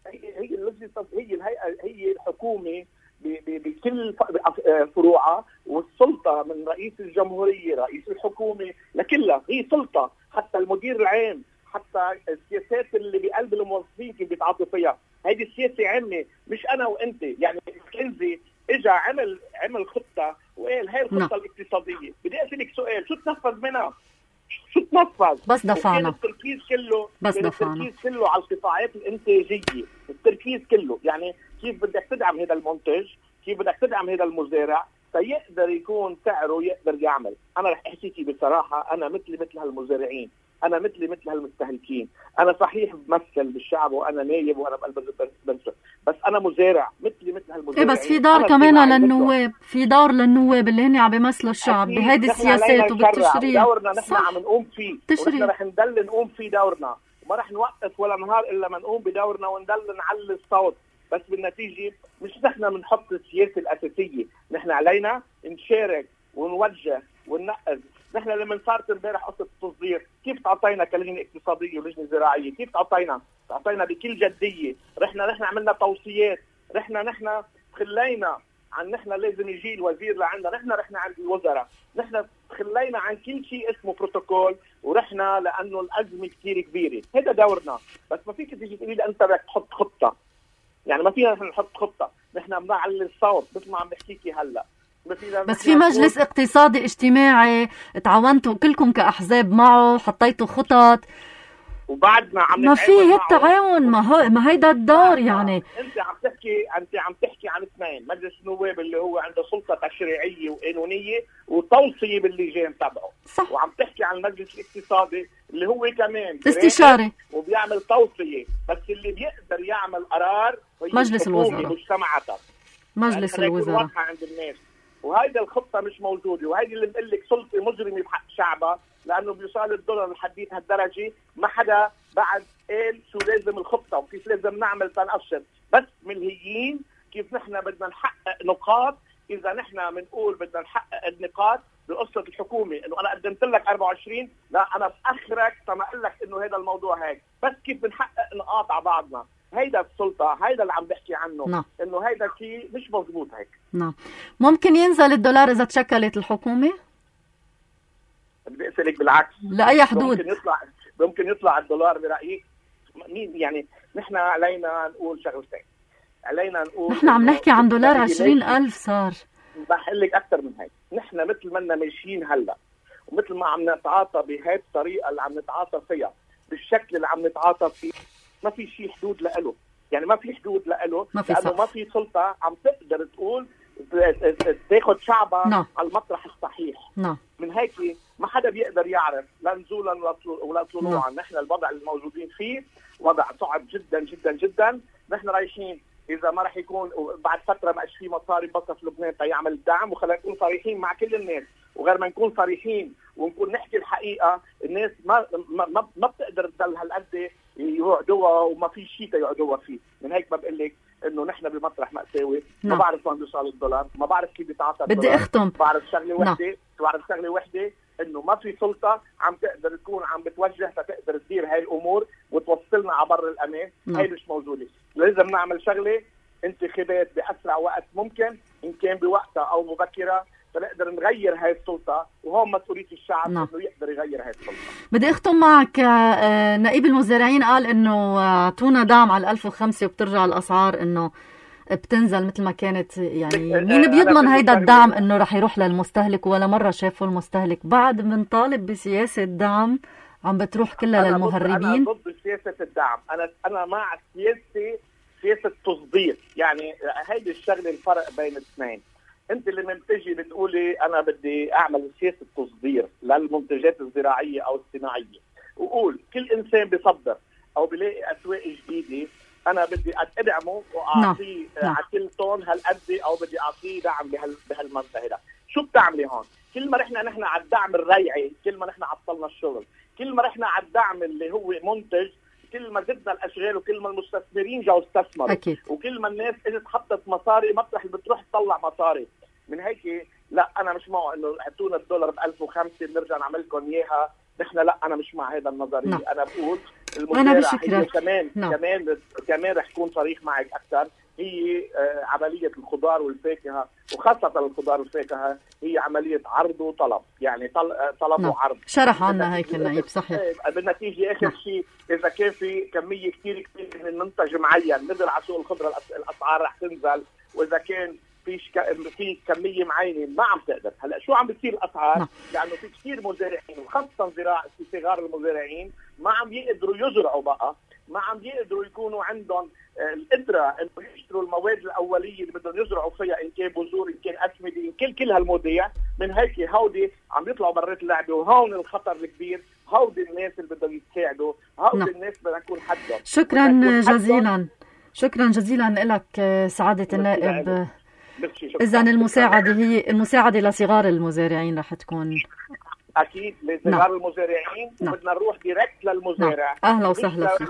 هي هي هي الهيئة، هي الحكومة بكل فروعها، والسلطة من رئيس الجمهورية رئيس الحكومة لكلها هي سلطة. حتى المدير العام، حتى السياسات اللي بقلب الموظفين كيف بيتعاطوا فيها، هيدي السياسة عامة مش أنا وأنت. يعني كنزي إجا عمل عمل خطة وقال هاي الخطة الاقتصادية. بدي أسألك سؤال، شو تنفذ منها؟ شو تتنفذ. بس دفعنا. التركيز كله بس دفعنا. التركيز كله على القطاعات الانتاجيه، التركيز كله يعني كيف بدك تدعم هذا المنتج، كيف بدك تدعم هذا المزارع فيقدر يكون سعره يقدر يعمل. انا رح احكيكي بصراحه، انا مثلي مثل هالمزارعين، انا مثلي مثل هالمستهلكين، انا صحيح بمثل بالشعب وانا نايب وانا بقلب البنسة، بس انا مزارع مثلي مثل هالمزارعين. ايه بس في دار كمان للنواب، في دار للنواب اللي هن عم بيمثلوا الشعب بهيدي السياسات وبالتشريع. دورنا نحن عم نقوم فيه، ونحن رح نضل نقوم فيه دورنا، وما رح نوقف ولا نهار الا ما نقوم بدورنا ونضل نعلي الصوت. بس بالنتيجه مش نحن بنحط السياسه الاساسيه، نحن علينا نشارك ونوجه وننقذ. نحن لما صارت امبارح قصه التصدير، كيف تعطينا كلجنه اقتصاديه ولجنه زراعيه؟ كيف تعطينا؟ تعطينا بكل جديه، رحنا نحن عملنا توصيات، رحنا نحن تخلينا عن نحن لازم يجي الوزير لعندنا، نحن رحنا عند الوزراء، نحن تخلينا عن كل شيء اسمه بروتوكول، ورحنا لانه الازمه كثير كبيره، هذا دورنا. بس ما فيك تيجي تقولي لي انت بدك تحط خطه، يعني ما فينا نحط خطه، نحن بنعلي الصوت مثل ما عم بحكيكي هلا. بس في مجلس اقتصادي اجتماعي تعاونتوا كلكم كأحزاب معه، حطيتوا خطط وبعدنا عم ما في هالتعاون، ما هو ما هيدا الدور. يعني انت عم تحكي انت عم تحكي عن اثنين، مجلس النواب اللي هو عنده سلطه تشريعيه وقانونيه وتوصيه باللجان تبعه، صح. وعم تحكي عن المجلس الاقتصادي اللي هو كمان استشاري وبيعمل توصيه، بس اللي بيقدر يعمل قرار مجلس الوزراء، مجتمعاتها مجلس يعني الوزراء واضحه عند الناس. وهيدا الخطه مش موجوده، وهيدي اللي بقول لك سلطه مجرمه بحق شعبها، لانه بيوصل الدولار لحديت هالدرجه ما حدا بعد قال شو لازم الخطه وكيف لازم نعمل تنقشر. بس ملهيين كيف نحن بدنا نحقق نقاط. اذا نحن بنقول بدنا نحقق النقاط بقصه الحكومه، انه انا قدمت لك أربعة وعشرين، لا انا باخرك تما اقول لك انه هذا الموضوع هيك، بس كيف بنحقق نقاط على بعضنا. هيدا السلطه، هيدا اللي عم بحكي عنه. نعم. انه هيدا شيء مش مضبوط هيك. نعم. ممكن ينزل الدولار اذا تشكلت الحكومه؟ بدي اسالك بالعكس، لاي حدود ممكن يطلع ممكن يطلع الدولار برايك؟ مين يعني؟ نحن علينا نقول شغلتين، علينا نقول نحن عم نحكي عن دولار عشرين ألف صار. بحل لك اكثر من هيك. نحن مثل ما ماشيين هلا ومثل ما عم نتعاطى بهي الطريقه اللي عم نتعاطى فيها بالشكل اللي عم نتعاطى فيه، ما في شيء حدود لإله. يعني ما في حدود لإله، لانه ما في سلطه عم تقدر تقول تاخذ شعبها نعم. على المطرح الصحيح. نعم. من هيك ما حدا بيقدر يعرف لا نزولا ولا طلوعا. نحن الوضع الموجودين فيه وضع صعب جدا جدا جدا. نحن رايحين اذا ما راح يكون بعد فتره ما في مصاري بصف لبنان تيعمل الدعم. وخلينا نكون صريحين مع كل الناس، وغير ما نكون صريحين ونكون نحكي الحقيقه، الناس ما ما ما بتقدر تضل هالقد يقعدوها وما في شيء يقعدوها فيه. من هيك ما بقول لك انه نحن بمطرح مأساوي. ما بعرف وين بيوصل الدولار، ما بعرف كيف بيتعاطى الدولار. بدي اختم. بعرف شغله وحده، بعرف شغله وحده انه ما في سلطه عم تقدر تكون عم بتوجه فتقدر تدير هاي الامور وتوصلنا على بر الامان. هاي مش موجوده. لازم نعمل شغله انتخابات باسرع وقت ممكن، ان كان بوقتها او مبكره، فنقدر نغير هاي السلطه. وهون مسؤوليه الشعب انه يقدر يغير هاي السلطه. بدي اختم معك. نائب المزارعين قال انه اعطونا دعم على ألف وخمسة وبترجع الاسعار انه بتنزل مثل ما كانت. يعني مين بيضمن هيدا الدعم انه رح يروح للمستهلك؟ ولا مره شافوا المستهلك؟ بعد بنطالب بسياسه دعم عم بتروح كلها للمهربين. انا ضد سياسه الدعم. انا انا مع سياسه سياسه تصدير. يعني هيدي الشغله الفرق بين الاثنين. انت لما بتجي بتقولي انا بدي اعمل سياسه تصدير للمنتجات الزراعيه او الصناعيه، وقول كل انسان بيصدر او بيلاقي اسواق جديده انا بدي ادعمه واعطيه على كل طن هالقد، او بدي اعطيه دعم بهال بهالمنطقه هذا. شو بتعملي هون؟ كل ما رحنا نحن على الدعم الريعي، كل ما نحن عطلنا الشغل. كل ما رحنا على الدعم اللي هو منتج، كل ما زدنا الاشغال، وكل ما المستثمرين جاوا استثمروا، وكل ما الناس اجت حطت مصاري مطرح اللي بتروح تطلع مصاري. من هيك لا، انا مش معه انه اعطونا الدولار ب ألف وخمسة بنرجع نعمل لكم اياها. نحن لا، انا مش مع هذا النظريه. نعم. انا بقول المزارع هي كمان نعم. كمان كمان رح كون صريح معك اكثر. هي آه عمليه الخضار والفاكهه، وخاصه الخضار والفاكهه، هي عمليه عرض وطلب. يعني طل... طلب نعم. وعرض. شرح عنا هيك النائب. صحيح. بالنتيجه اخر نعم. شيء اذا كان في كميه كثير كثير من منتج معين نزل على سوق الخضره، الاسعار رح تنزل. واذا كان في في كميه معينه ما عم تقدر. هلا شو عم بتصير الاسعار؟ نعم. لانه في كثير مزارعين وخاصه زراعه صغار المزارعين ما عم يقدروا يزرعوا بقى، ما عم يقدروا يكونوا عندهم القدره انه يشتروا المواد الاوليه اللي بدهم يزرعوا فيها، ان كان بذور ان كان اسمده ان كان كل هالمواضيع. من هيك هودي عم يطلعوا برات اللعبه، وهون الخطر الكبير. هودي الناس اللي بدهم يتساعدوا، هودي نعم. الناس بدنا نكون حدهم. شكرا جزيلا، شكرا جزيلا لك سعادة النائب. إذن المساعدة هي المساعدة لصغار المزارعين رح تكون اكيد لصغار نعم. المزارعين. نعم. وبدنا نروح دايركت للمزارع. نعم. اهلا وسهلا فيك.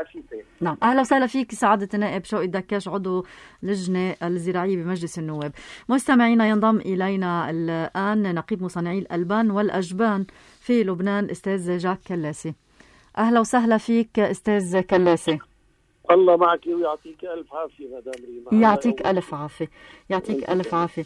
لشيء نعم اهلا وسهلا فيك سعاده النائب شوقي دكاش، عضو لجنه الزراعيه بمجلس النواب. مستمعينا ينضم الينا الان نقيب مصنعي الالبان والاجبان في لبنان استاذ جاك كلاسي. اهلا وسهلا فيك استاذ كلاسي. الله معك ويعطيك الف عافيه مدام ريما. يعطيك الف عافيه، يعطيك الف عافيه.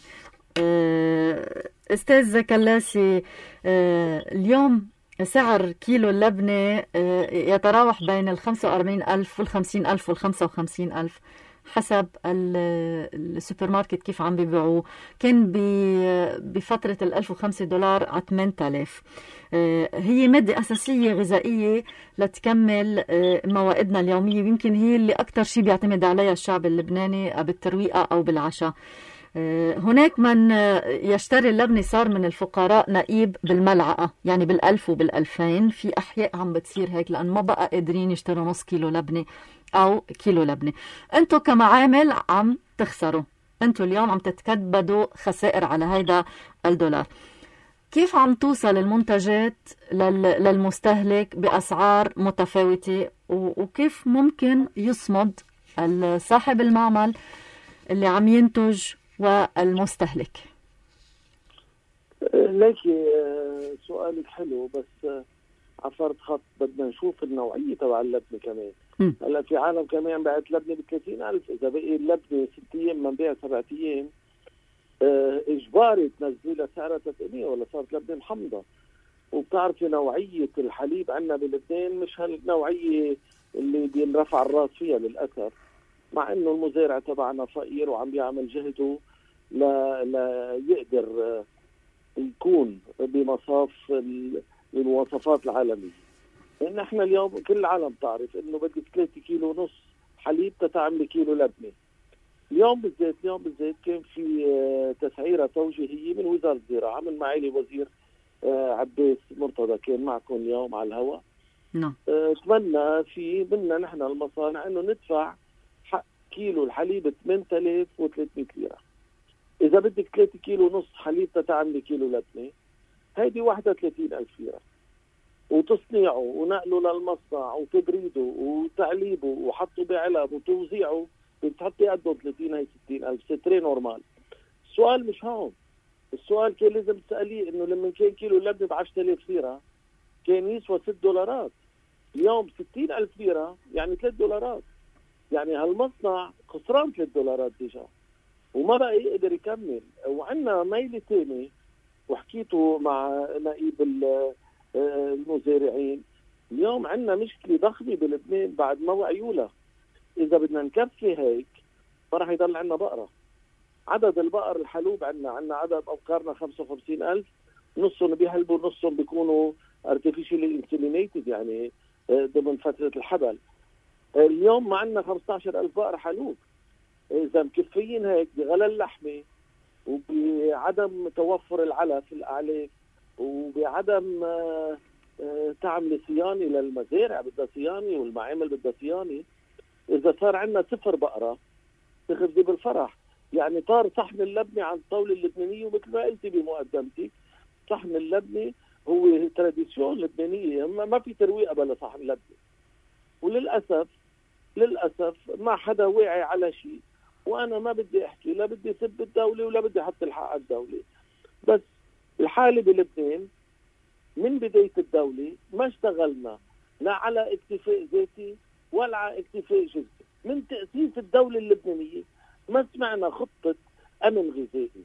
استاذ كلاسي، اليوم سعر كيلو اللبنة يتراوح بين الخمسة وأربعين ألف والخمسين ألف والخمسة وخمسين ألف حسب السوبر ماركت كيف عم بيبيعوه. كان بفترة الألف وخمسة دولار على ثمانية آلاف. هي مادة أساسية غذائية لتكمل موائدنا اليومية، يمكن هي اللي أكتر شيء بيعتمد عليها الشعب اللبناني بالترويقة أو بالعشاء. هناك من يشتري اللبنة صار من الفقراء نقيب بالملعقة، يعني بالألف وبالألفين. في أحياء عم بتصير هيك لأن ما بقى قادرين يشتروا نص كيلو لبنة أو كيلو لبنة. أنتوا كمعامل عم تخسروا، أنتوا اليوم عم تتكبدوا خسائر على هيدا الدولار. كيف عم توصل المنتجات للمستهلك بأسعار متفاوتة، وكيف ممكن يصمد صاحب المعمل اللي عم ينتج والمستهلك؟ ليكي سؤالك حلو، بس عفرت خط. بدنا نشوف النوعية تبع اللبنة كمان. هلا في عالم كمان بعت لبنة بثلاثين ألف، إذا بقي اللبنة ست أيام من بيع سبعة أيام إجباري تنزلها سعرها ثلاثمية ولا صارت لبنة محمضة. وبتعرفي نوعية الحليب عندنا بلبنان مش هالنوعية اللي بينرفع الراس فيها للأسف، مع انه المزارع تبعنا فقير وعم بيعمل جهده لا لا يقدر يكون بمصاف المواصفات العالميه. لان احنا اليوم كل العالم تعرف انه بدك ثلاثة كيلو ونص حليب تتعمل كيلو لبنه. اليوم بالذات اليوم بالذات كان في تسعيره توجيهيه من وزاره الزراعه من معالي وزير عباس مرتضى، كان معكم اليوم على الهواء. نعم. اتمنى في منا نحن المصانع انه ندفع كيلو الحليب ثمانية آلاف وثلاثمية ليرة. إذا بدك ثلاثة كيلو ونص حليب تتعملي كيلو لبنة، هيدي واحدة وثلاثين ألف ليرة، وتصنيعه ونقله للمصنع وتبريده وتعليبه وحطه بعلب وتوزيعه بتحطي قده ثلاثين هي ستين ألف. ستري نورمال. السؤال مش هون. السؤال كان لازم تسأليه إنه لما كان كيلو اللبنة ب عشرة آلاف ليرة كان يسوى ست دولارات. اليوم ستين ألف ليرة يعني ثلاث دولارات. يعني هالمصنع خسران ثلاث دولارات ديجا وما بقى يقدر يكمل. وعندنا ميلة تاني وحكيته مع نقيب المزارعين. اليوم عندنا مشكلة ضخمة بلبنان بعد ما وعيوا لها. إذا بدنا نكفي هيك ما راح يضل عندنا بقرة. عدد البقر الحلوب عندنا عندنا عدد أبقارنا خمسة وخمسين ألف، نصهم بيحلبوا نصهم بيكونوا artificially inseminated يعني ضمن فترة الحبل. اليوم ما عندنا خمسة عشر ألف بقر حلوب. إذا مكفيين هيك بغلى اللحمة وبعدم توفر العلف الأعلاف وبعدم تعمل صيانة للمزارع بدها صيانة والمعامل بدها صيانة، إذا صار عندنا صفر بقرة تخذي بالفرح. يعني طار صحن اللبنة عن الطاولة اللبنانية، ومثل ما قلتي بمقدمتك صحن اللبنة هو تراديسيون لبنانية، ما في ترويقة بلا صحن لبنة. وللأسف للأسف ما حدا واعي على شيء. وأنا ما بدي أحكي، لا بدي سب الدولة ولا بدي أحط الحق على الدولة، بس الحالة بلبنان من بداية الدولة ما اشتغلنا لا على اكتفاء ذاتي ولا على اكتفاء جزئي. من تأسيس الدولة اللبنانية ما سمعنا خطة أمن غذائي.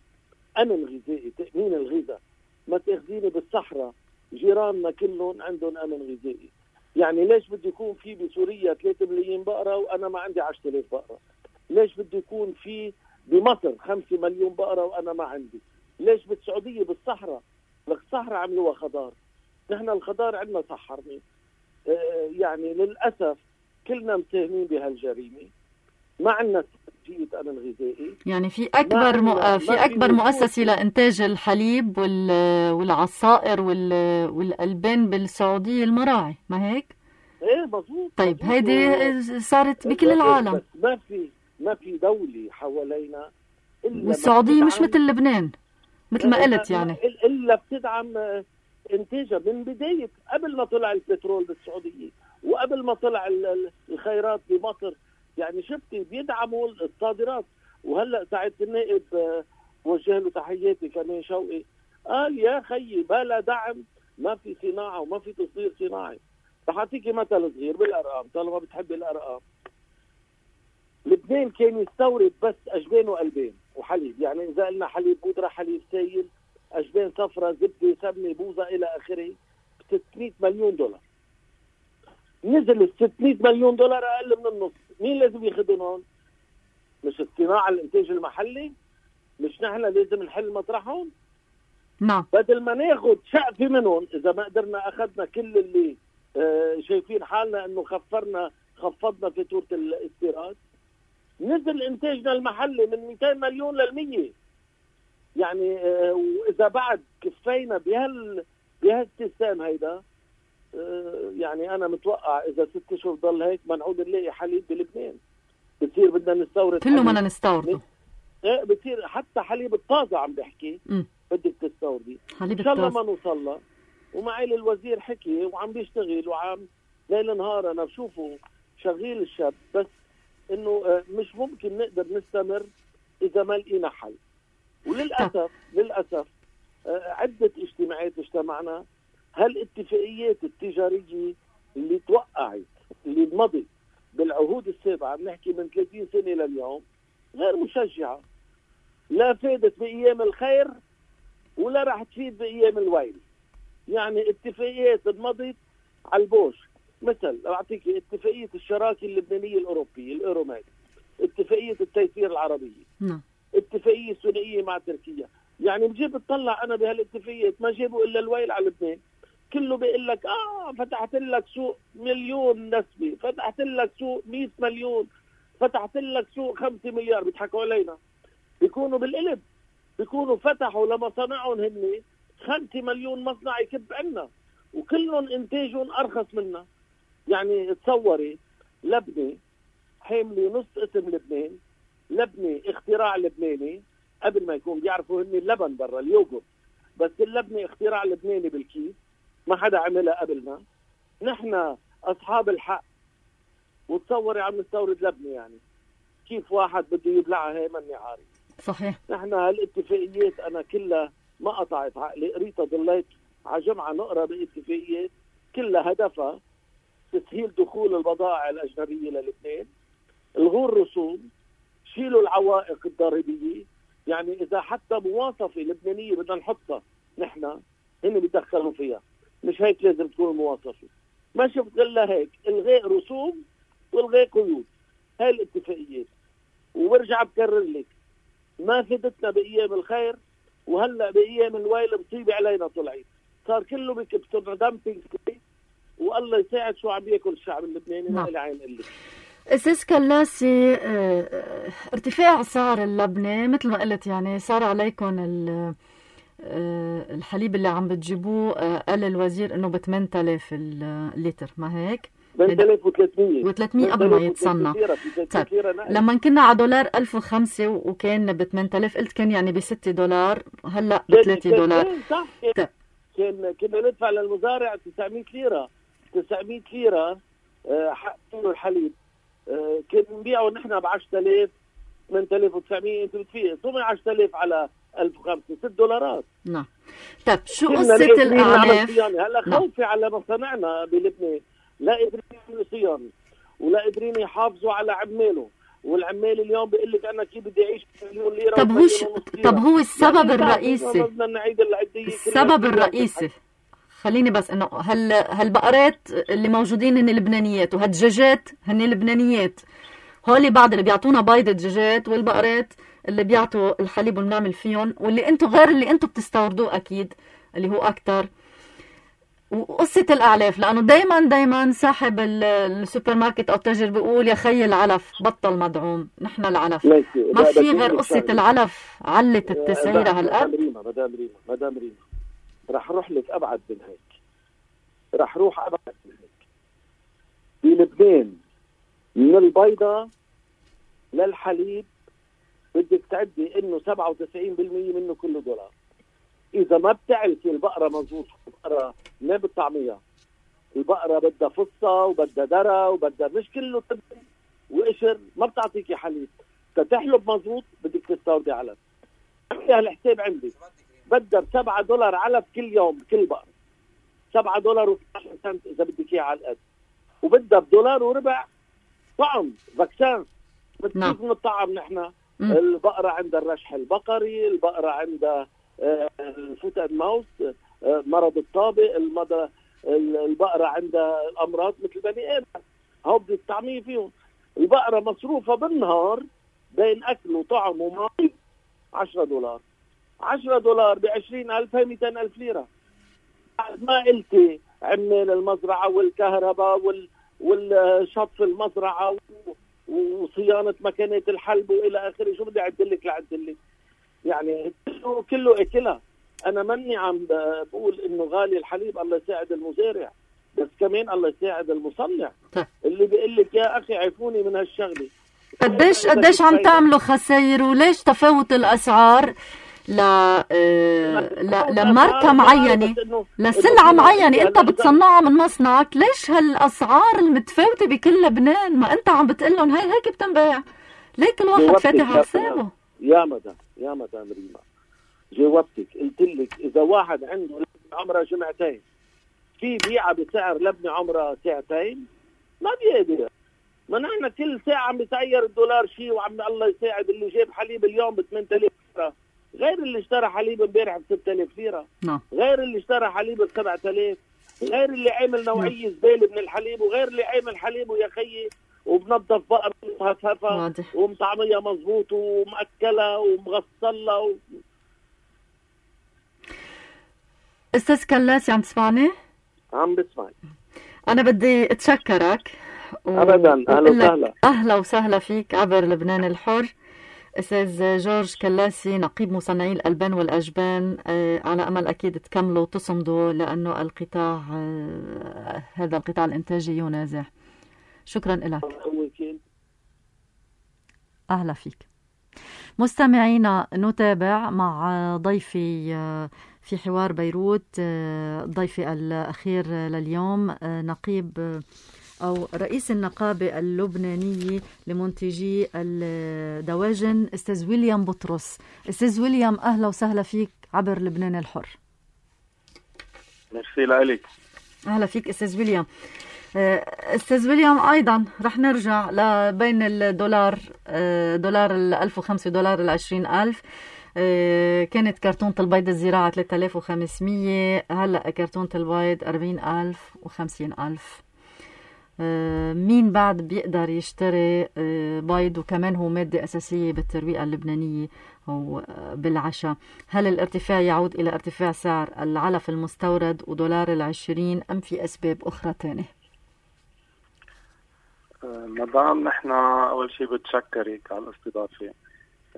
أمن غذائي، تأمين الغذاء. ما تأخذيني بالصحراء جيراننا كلهم عندهم أمن غذائي. يعني ليش بده يكون في بسوريا ثلاثة ملايين بقرة وأنا ما عندي عشرة آلاف بقرة؟ ليش بده يكون في بمصر خمسة مليون بقرة وأنا ما عندي. ليش بالسعودية بالصحراء؟ لك الصحراء عملوها خضار، نحن الخضار عندنا صحرني. آه يعني للأسف كلنا مساهمين بهالجريمة، ما عندنا استراتيجية أمن غذائي. يعني في أكبر مؤ... في أكبر مؤسسة لإنتاج الحليب وال... والعصائر وال... والألبان بالسعودية المراعي، ما هيك؟ إيه مظبوط. طيب هيدي صارت بكل العالم، بس ما في ما في دولة حوالينا إلا والسعودية مش مثل لبنان مثل ما قلت يعني إلا بتدعم إنتاجها من بداية قبل ما طلع البترول بالسعودية وقبل ما طلع الخيرات بمصر. يعني شفتي بيدعموا الصادرات. وهلا ساعة النائب وجه له تحياتي كمان شوقي قال يا خيي بلا دعم ما في صناعة وما في تصدير صناعي. رح أعطيكي مثل صغير بالأرقام طالما بتحبي الأرقام. لبنان كان يستورد بس أجبان وقلبين وحليب، يعني إذا قلنا حليب بودرة حليب سائل أجبان صفرة زبدة سمنة بوظة إلى آخره ستمائة مليون دولار. نزل ال ستمائة مليون دولار أقل من النص. مين لازم ياخذهم؟ مش الصناعة الإنتاج المحلي؟ مش نحن لازم نحل مطرحهم؟ نعم. بدل ما ناخذ شقفة منهم إذا ما قدرنا أخذنا كل اللي آه شايفين حالنا إنه خفرنا خفضنا فاتورة الاستيراد، نزل إنتاجنا المحلي من مئتين مليون للمية. يعني آه وإذا بعد كفينا بهال بهالسيستم هيدا آه يعني أنا متوقع إذا ست أشهر ضل هيك ما نعود نلاقي حليب بلبنان. بتصير بدنا نستورد كله بدنا نستورده. ايه بتصير حتى حليب الطازة عم بحكي م. بدك تستوردي. إن شاء الله ما نوصل له. ومعي الوزير حكي وعم بيشتغل وعم ليل نهار أنا بشوفه شغيل الشاب، بس إنه مش ممكن نقدر نستمر إذا ما لقينا حل. وللأسف للأسف عدة اجتماعات اجتمعنا هالاتفاقيات التجارية اللي توقعت اللي مضت بالعهود السابعة بنحكي من ثلاثين سنة لليوم غير مشجعة، لا فادت بأيام الخير ولا راح تفيد بأيام الويل. يعني اتفاقيات مضت على البوش، مثل أعطيك اتفاقية الشراكة اللبنانية الأوروبية الأوروميد، اتفاقية التيسير العربية، نعم. اتفاقية ثنائية مع تركيا. يعني بجيب اطلع أنا بهالاتفاقيات ما جيبوا إلا الويل على لبنان. كله بيقول لك آه فتحت لك سوق مليون نسبة، فتحت لك سوق مئة مليون، فتحت لك سوق خمسة مليار. بيضحكوا علينا، بيكونوا بالقلب، بيكونوا فتحوا لمصانعهم هن خمسة مليون مصنع يكب عنا وكلهم انتاجهم ارخص منا. يعني تصوري لبنة حاملة نص اسم لبنان، لبنة اختراع لبناني قبل ما يكون بيعرفوا هن اللبن برا اليوغورت، بس اللبنة اختراع لبناني بالكيس ما حدا عملها قبلنا. نحن اصحاب الحق. وتصوري عم نستورد لبنة، يعني كيف واحد بده يبلعها هي مني عارف. صحيح. نحن هالاتفاقيات انا كلها ما قطعت عقلي، قريتها ضليت على جمعة نقرا باتفاقيات كلها هدفها تسهيل دخول البضائع الأجنبية للبنان، الغوا الرسوم، شيلوا العوائق الضريبية. يعني إذا حتى مواصفة لبنانية بدنا نحطها نحن هن بيدخلوا فيها، مش هيك لازم تكون المواصفة. ما شفت إلا هيك، الغاء رسوم والغاء قيود. هاي الاتفاقيات. وبرجع بكرر لك ما فدتنا بأيام الخير، وهلا بأيام الويل مصيبة علينا طلعت. صار كله بكبسنا دامبينج، والله يساعد شو عم بياكل الشعب اللبناني. ما لي عين قلك. أساس كلاسي ارتفاع سعر اللبنة مثل ما قلت، يعني صار عليكم الحليب اللي عم بتجيبوه قال الوزير انه ب ثمانية آلاف اللتر، ما هيك؟ ثمانية آلاف وثلاثمية وثلاثمية قبل ما يتصنع. طيب لما كنا على دولار ألف وخمسة وكان ب ثمانية آلاف قلت كان يعني ب ستة دولار، هلا ب ثلاثة دولار. صح. كان كان كنا ندفع للمزارع تسعمية ليرة تسعمية ليرة حق الحليب. كنا نبيعه نحن ب عشرة آلاف ثمانية آلاف وتسعمية. انت بتفيق ثم عشرة آلاف على ألف وخمسة، ست دولارات. نعم. طيب شو قصة الأعلاف؟ هلا خوفي على مصانعنا بلبنان، لا قادرين يعملوا صيانة ولا قادرين يحافظوا على عماله، والعمال اليوم بيقول لك انا كيف بدي اعيش مليون ليرة. طب هو ش... طب هو السبب الرئيسي السبب الرئيسي خليني بس انه هال هالبقرات اللي موجودين هن لبنانيات، وهالدجاجات هن لبنانيات. هولي بعض اللي بيعطونا بيض الدجاجات والبقرات اللي بيعطوا الحليب وبنعمل فيهم، واللي انتم غير اللي انتم بتستوردوه اكيد اللي هو اكتر. وقصة الأعلاف، لأنه دايما دايما صاحب السوبر ماركت أو التاجر بيقول يا خي العلف بطل مدعوم، نحن العلف ما في غير قصة العلف علت التسعيرة هالقد. مدام ريما مدام ريما مدام ريما رح روح لك أبعد من هيك، رح روح أبعد من هيك. في لبنان من البيضة للحليب بدك تعدي إنه سبعة وتسعين بالمية منه كله دولار. إذا ما بتعرفي البقرة مظبوط، البقرة ما بالطعمية، البقرة بدها فصة وبدها درة وبدها مش كله تبن وقشر، ما بتعطيكي حليب. تتحلب مظبوط بدك تستوردي علف. عملي هالحساب عندي، بدها بسبعة دولار علف كل يوم كل بقرة، سبعة دولار واثناشر سنت إذا بدك إياه على القد، وبدها بدولار وربع طعم فاكسان. كيف نطعم نحن؟ البقرة عندها الرشح البقري، البقرة عندها الفوت اند ماوس مرض الطابق، المضى البقرة عندها الأمراض مثل بني آدم، هو بدي الطعمية فيهم. البقرة مصروفة بالنهار بين أكل وطعم وماء عشرة دولار، عشرة دولار بعشرين ألف هي مئتين ألف ليرة. ما قلتي عمال المزرعة والكهرباء وال والشطف المزرعة وصيانة مكانات الحلب وإلى آخره، شو بدي أعدلك لأعدلك؟ يعني كله كله اكلها. انا مني عم بقول انه غالي الحليب، الله يساعد المزارع، بس كمان الله يساعد المصنع اللي بيقول لك يا اخي عيفوني من هالشغله. قديش قديش عم تعملوا خسائر، وليش تفاوت الاسعار ل ل لماركه معينه لسلعه معينه انت بتصنعها من مصنعك؟ ليش هالاسعار المتفاوته بكل لبنان؟ ما انت عم بتقول لهم هي هيك بتنباع، ليه كل واحد فاتح على حسابه؟ يا مدام يا مدام ريما جاوبتك، قلت لك اذا واحد عنده لبنه عمرها جمعتين في بيعه بسعر لبنه عمرها ساعتين ما بيقدر. ما نحن كل ساعه عم بيسعر الدولار شيء، وعم الله يساعد اللي جاب حليب اليوم ب ثمانية آلاف ليره غير اللي اشترى حليب امبارح ب ستة آلاف ليره، غير اللي اشترى حليب ب سبعة آلاف، غير اللي عامل نوعيه زباله من الحليب، وغير اللي عامل حليب ويا خيي وبنظف بقر مهففة ومطعمية مظبوط ومأكلة ومغسلة و... أستاذ كلاسي عم تسمعني؟ عم بسمعك. أنا بدي أتشكرك و... أبدا. أهلا وسهلا. أهلا وسهلا فيك عبر لبنان الحر. أستاذ جورج كلاسي نقيب مصنعي الألبان والأجبان، على أمل أكيد تكملوا وتصمدوا، لأنه القطاع هذا القطاع الإنتاجي ينازع. شكرا لك. أهلا فيك. مستمعينا نتابع مع ضيفي في حوار بيروت، ضيفي الأخير لليوم نقيب أو رئيس النقابة اللبنانية لمنتجي الدواجن أستاذ ويليام بطرس. أستاذ ويليام أهلا وسهلا فيك عبر لبنان الحر. ميرسي لك. أهلا فيك أستاذ ويليام. أستاذ ويليام أيضا رح نرجع لبين الدولار دولار الألف وخمسة دولار العشرين ألف. كانت كرتونة البيض الزراعة ثلاثة آلاف وخمسمية، هلأ كرتونة البيض أربعين ألف وخمسين ألف. مين بعد بيقدر يشتري بيض وكمان هو مادة أساسية بالترويقة اللبنانية وبالعشاء؟ هل الارتفاع يعود إلى ارتفاع سعر العلف المستورد ودولار العشرين أم في أسباب أخرى تانية؟ مدام نحن أول شيء بتشكرك على الاستضافة.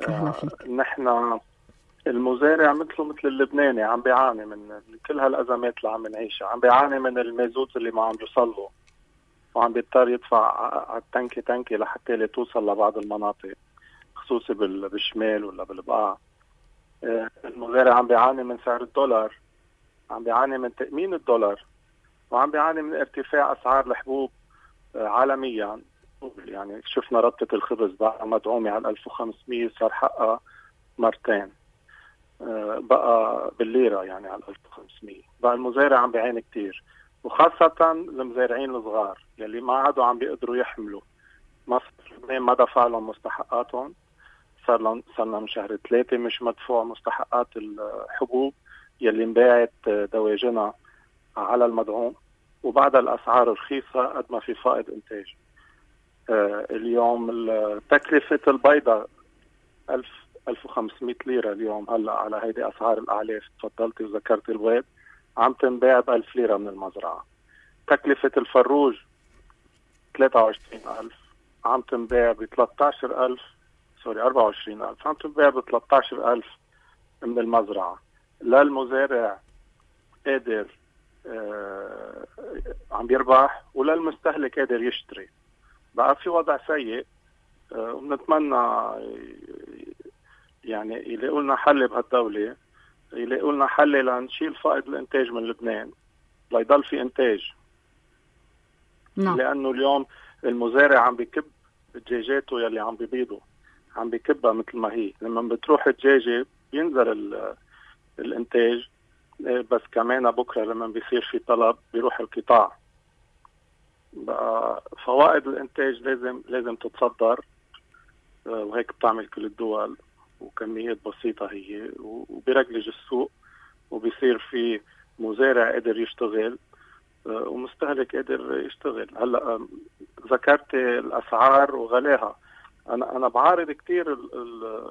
أهلا فيك. نحن المزارع مثله مثل اللبناني عم بيعاني من كل هالأزمات اللي عم نعيشها، عم بيعاني من المازوت اللي ما عم بيوصله، وعم بيضطر يدفع على التنكي تنكي لحتى لا توصل لبعض المناطق خصوصي بالشمال ولا بالبقاع. المزارع عم بيعاني من سعر الدولار، عم بيعاني من تأمين الدولار، وعم بيعاني من ارتفاع أسعار الحبوب عالميا. يعني شفنا ربطة الخبز بقى مدعومة على ألف وخمسمية، صار حقها مرتين بقى بالليرة يعني على ألف وخمسمية. بقى المزارع عم بيعاني كتير، وخاصة المزارعين الصغار يلي ما عادوا عم بيقدروا يحملوا. مصر ما دفع لهم مستحقاتهم، صار لهم صار لهم شهر ثلاثة مش مدفوع مستحقات الحبوب يلي انباعت دواجنها على المدعوم، وبعد الأسعار رخيصة قد ما في فائض إنتاج. آه اليوم تكلفة البيضة ألف ألف وخمسمية ليرة اليوم هلا على هيدي أسعار الأعلاف. تفضلتي وذكرت البيض عم تنباع بألف ليرة من المزرعة. تكلفة الفروج ثلاثة وعشرين ألف عم تنباع ب ثلاثة عشر ألف سوري أربعة وعشرين ألف عم تنباع ب ثلاثة عشر ألف من المزرعة. لا المزارع قادر آه عم بيربح ولا المستهلك قادر يشتري. بقى في وضع سيء آه ونتمنى يعني يلاقوا لنا حل بهالدولة، يلاقوا لنا حل لنشيل فائض الانتاج من لبنان ليضل في انتاج. نعم. لانه اليوم المزارع عم بيكب دجاجاته يلي عم بيبيضوا عم بيكبها مثل ما هي. لما بتروح الدجاجة بينزل الانتاج، بس كمان بكره لما بيصير في طلب بيروح القطاع. بقى فوائد الانتاج لازم لازم تتصدر، وهيك بتعمل كل الدول وكميات بسيطة هي، وبيرجلج السوق وبيصير في مزارع قادر يشتغل ومستهلك قادر يشتغل. هلا ذكرت الاسعار وغلاها، انا انا بعارض كتير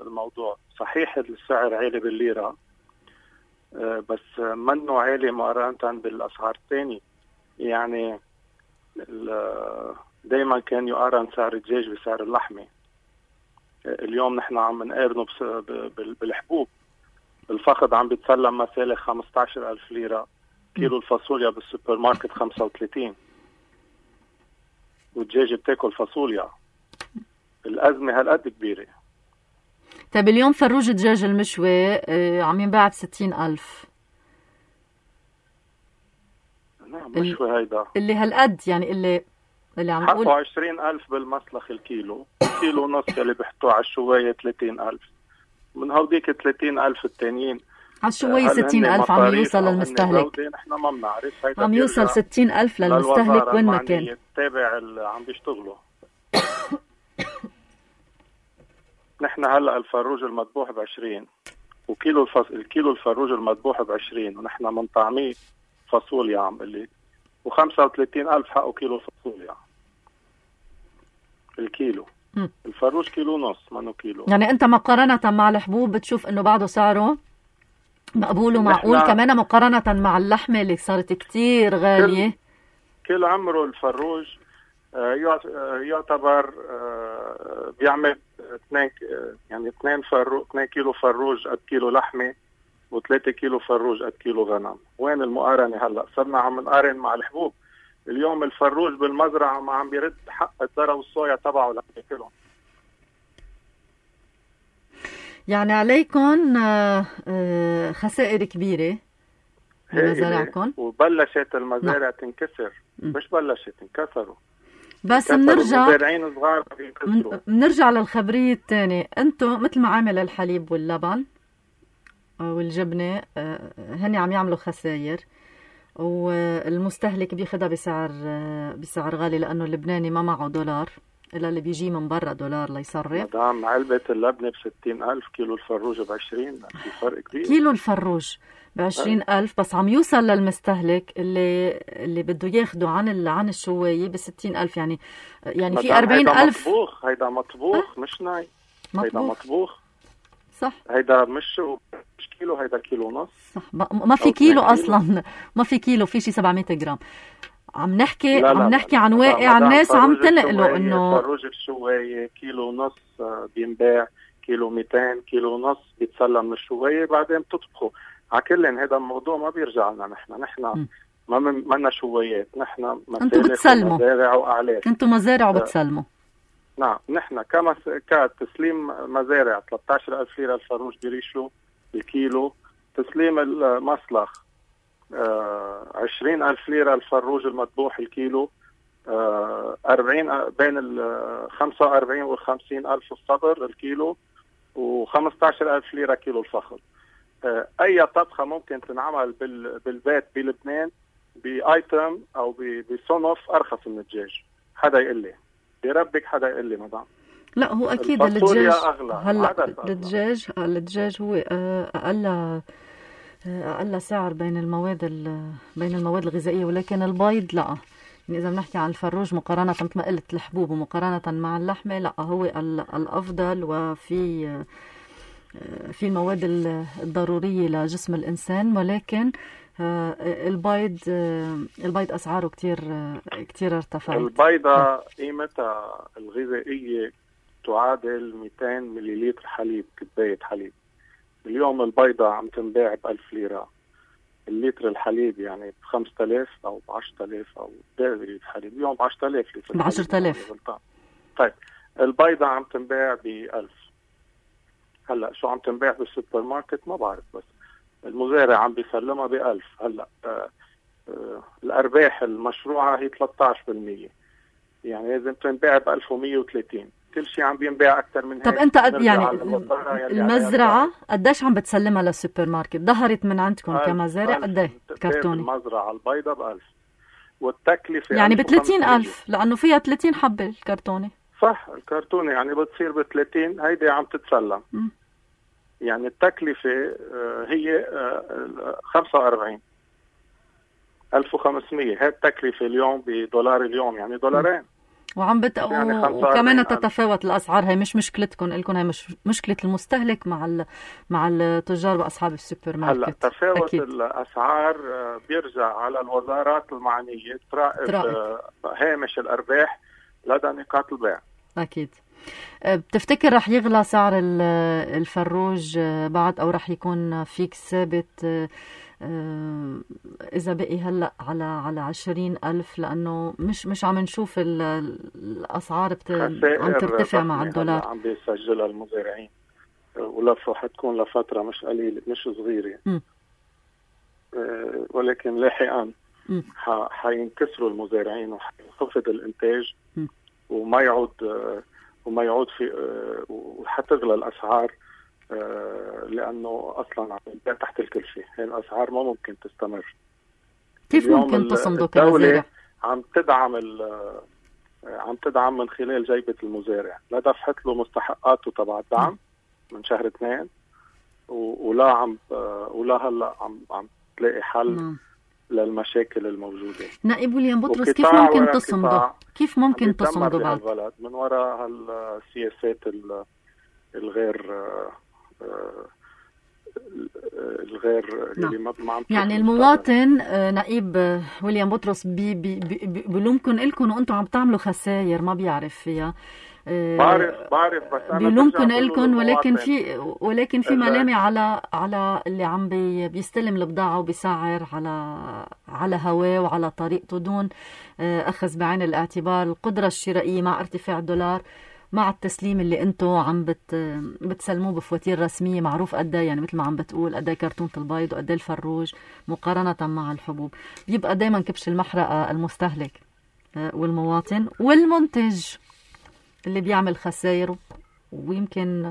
الموضوع. صحيح السعر عالي بالليرة بس منه عالي مقارنة بالاسعار الثانية. يعني دايما كان يقارن سعر الدجاج بسعر اللحمة. اليوم نحن عم نقارنه بالحبوب. الفخذ عم بيتسلم مثلا خمسة عشر ألف ليرة، كيلو الفاصوليا بالسوبر ماركت خمسة وثلاثين، والدجاجة بتاكل فاصوليا. الأزمة هالقد كبيرة. طيب اليوم فروج الدجاج المشوي عم ينباع بستين ألف. نعم مشوي هيدا اللي هالقد يعني اللي اللي عم حطوا عشرين ألف بالمسلخ الكيلو، كيلو ونص اللي بيحطوه على الشواية ثلاثين ألف. من هوديك ثلاثين ألف التانيين على الشواية ستين ألف عم يوصل للمستهلك. نحن ما بنعرف. عم يوصل ستين ألف للمستهلك وين ما كان. تابع اللي عم بيشتغلوا. نحن هلا الفروج المذبوح بعشرين، وكيلو الفص... الكيلو الفروج المذبوح بعشرين، ونحن منطعميه فاصوليا عم قلي، وخمسة وثلاثين ألف حقه كيلو فاصوليا الكيلو. م. الفروج كيلو نص منو كيلو. يعني انت مقارنة مع الحبوب بتشوف انه بعده سعره مقبول ومعقول، كمان مقارنة مع اللحمة اللي صارت كتير غالية. كل, كل عمره الفروج يعتبر بيعمل اثنين يعني اثنين فروج اثنين كيلو فروج قد كيلو لحمة، وثلاثة كيلو فروج قد كيلو غنم. وين المقارنة هلا؟ صرنا عم نقارن مع الحبوب. اليوم الفروج بالمزرعة ما عم بيرد حق الذرة والصويا تبعه لأكلهم. يعني عليكم خسائر كبيرة بمزارعكم. وبلشت المزارع تنكسر. مش بلشت، انكسروا. بس بنرجع بنرجع للخبرية الثانية. انتم مثل ما عامل الحليب واللبن والجبنة هني عم يعملوا خسائر، والمستهلك بياخدها بسعر بسعر غالي لأنه اللبناني ما معه دولار إلا اللي بيجي من برا دولار ليصرف. مدام علبة اللبنة بستين ألف، كيلو الفروج بعشرين، في فرق كبير. كيلو الفروج بعشرين ألف بس عم يوصل للمستهلك اللي اللي بده ياخده عن ال... عن الشواية بستين ألف. يعني يعني في أربعين ألف. مطبوخ هيدا مطبوخ. أه؟ مش ناي مطبوخ. هيدا مطبوخ صح. هيدا مش مش كيلو، هيدا كيلو ونص. صح. ما في كيلو أصلا، ما في كيلو، في شي سبعمية جرام. عم نحكي لا لا عم نحكي لا. عن واقع الناس عم تنقله انه فروج الشوايه كيلو ونص بينباع، كيلو مئتين، كيلو ونص بيتسلم من الشوايه بعدين بتطبخه. على كل هذا الموضوع ما بيرجع لنا. نحن نحن ما منا شوايات، نحن مسالك ومزارع واعلاف. انتم مزارع وبتسلموا. نعم نحن كما كتسليم مزارع ثلاثة عشر ألف ليره الفروج بريشه الكيلو، تسليم المسلخ آه عشرين ألف ليرة الفروج المذبوح الكيلو، آه أربعين بين ال خمسة وأربعين والخمسين ألف الصدر الكيلو، وخمسة عشر ألف ليرة كيلو الفخذ. آه أي طبخة ممكن تنعمل بال بالبيت بلبنان بآيتم أو بصنف أرخص من الدجاج. حدا يقول لي بربك، حدا يقول لي مدام. لا هو أكيد الدجاج هلا الدجاج الدجاج هو أقل أقل سعر بين المواد بين المواد الغذائية، ولكن البيض لا. يعني إذا بنحكي عن الفروج مقارنة مثل ما قلت الحبوب ومقارنة مع اللحمة، لا هو الأفضل. وفي في المواد الضرورية لجسم الإنسان، ولكن البيض البيض أسعاره كتير كتير ارتفعت. البيضة قيمتها الغذائية تعادل مئتين مليلتر حليب، كباية حليب. اليوم البيضة عم تنباع بألف ليرة، اللتر الحليب يعني بخمسة آلاف أو بعشرة آلاف أو باقي حليب اليوم بعشرة آلاف لتر بعشرة آلاف. طيب البيضة عم تنباع بألف. هلا شو عم تنباع بالسوبر ماركت ما بعرف، بس المزارع عم بيسلمها بألف. هلا آه آه الأرباح المشروعة هي ثلاثة عشر بالمية، يعني لازم تنباع بألف ومية وثلاثين. كل شيء عم بينباع أكثر من هيك. طب أنت قد يعني المزرعة قديش عم بتسلمها للسوبر ماركت؟ ظهرت من عندكم كمزارع قديه كرتوني؟ المزرعة البيضة بألف، والتكلفة يعني بثلاثين ألف، لأنه فيها ثلاثين حبة الكرتوني. صح، الكرتوني يعني بتصير بثلاثين، هيدي عم تتسلم. م. يعني التكلفة هي خمسة وأربعين ألف وخمسمية. هاي التكلفة اليوم بدولار اليوم، يعني دولارين. وعم بت... يعني وكمان تتفاوت الأسعار. هي مش مشكلتكم، لكم هي مش مشكلة المستهلك مع ال... مع التجار وأصحاب السوبر ماركت. هلا تفاوت أكيد. الأسعار بيرجع على الوزارات المعنية تراقب هامش الأرباح لدى نقاط البيع. أكيد. بتفتكر رح يغلى سعر الفروج بعد، أو رح يكون فيك ثابت إذا بقي هلأ على على عشرين ألف؟ لأنه مش مش عم نشوف الأسعار بت... عم ترتفع مع الدولار. عم بيسجلها المزارعين، ولفه حتكون لفترة مش قليلة مش صغيرة. م. ولكن لاحقا حينكسروا المزارعين وحينخفض الإنتاج م. وما يعود وما يعود في وحتغلى الأسعار، لأنه أصلا عم ينباع تحت الكلفة. هي الأسعار ما ممكن تستمر. كيف ممكن تصمدوا كمزارع؟ عم تدعم عم تدعم من خلال جيبة المزارع، لا دفعت له مستحقاته تبع الدعم من شهر اثنين، ولا عم ولا هلا عم عم تلاقي حل م. للمشاكل الموجودة. نائب ويليام بطرس، كيف ممكن تصمدوا؟ كيف ممكن تصمدوا بعد؟ البلد من وراء هالسياسات الغير الغير اللي ما عم يعني المواطن. نائب ويليام بطرس بي بي بي بلومكن لكم وانتم عم تعملوا خسائر ما بيعرف فيها. بعرف بعرف بس انا بلومكن لكم، ولكن في ولكن في ملامه على على اللي عم بي بيستلم البضاعه وبيسعر على على هواه وعلى طريقته دون اخذ بعين الاعتبار القدره الشرائيه مع ارتفاع الدولار، مع التسليم اللي انتم عم بت بتسلموه بفواتير رسميه معروف قد ايه، يعني مثل ما عم بتقول قد ايه كرتونه البيض وقد ايه الفروج مقارنه مع الحبوب. بيبقى دائما كبش المحرقه المستهلك والمواطن والمنتج اللي بيعمل خسائر، ويمكن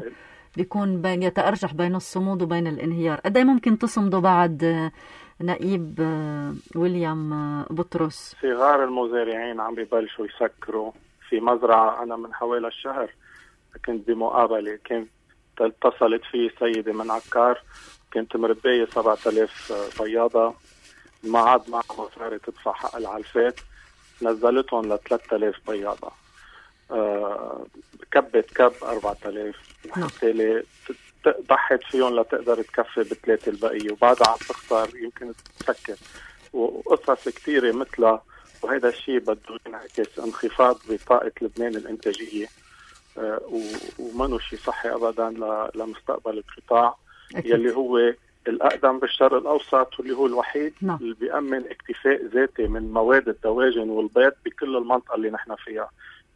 بيكون بين يتأرجح بين الصمود وبين الانهيار. قد ايه ممكن تصمدوا بعد نائب ويليام بطرس؟ صغار المزارعين عم ببلشوا يسكروا. في مزرعة أنا من حوالي الشهر كنت بمقابلة، كنت اتصلت في سيدة من عكار كنت مربية سبعة آلاف بياضة، ما عاد معها مصاري تدفع حق العلفات، نزلتهم ل ثلاثة آلاف بياضة. أه كبت كب أربعة آلاف، بالتالي ضحت فيهم لتقدر تكفي بثلاثة البقية، وبعدها عم تخسر يمكن تسكر. وقصص كثيرة مثلها، وهذا الشيء بده ينعكس انخفاض بطاقة لبنان الإنتاجية، أه ومنه شيء صحي أبدا لمستقبل القطاع أكيد. يلي هو الأقدم بالشرق الأوسط، واللي هو الوحيد نعم. اللي بيأمن اكتفاء ذاتي من مواد الدواجن والبيض بكل المنطقة اللي نحن فيها.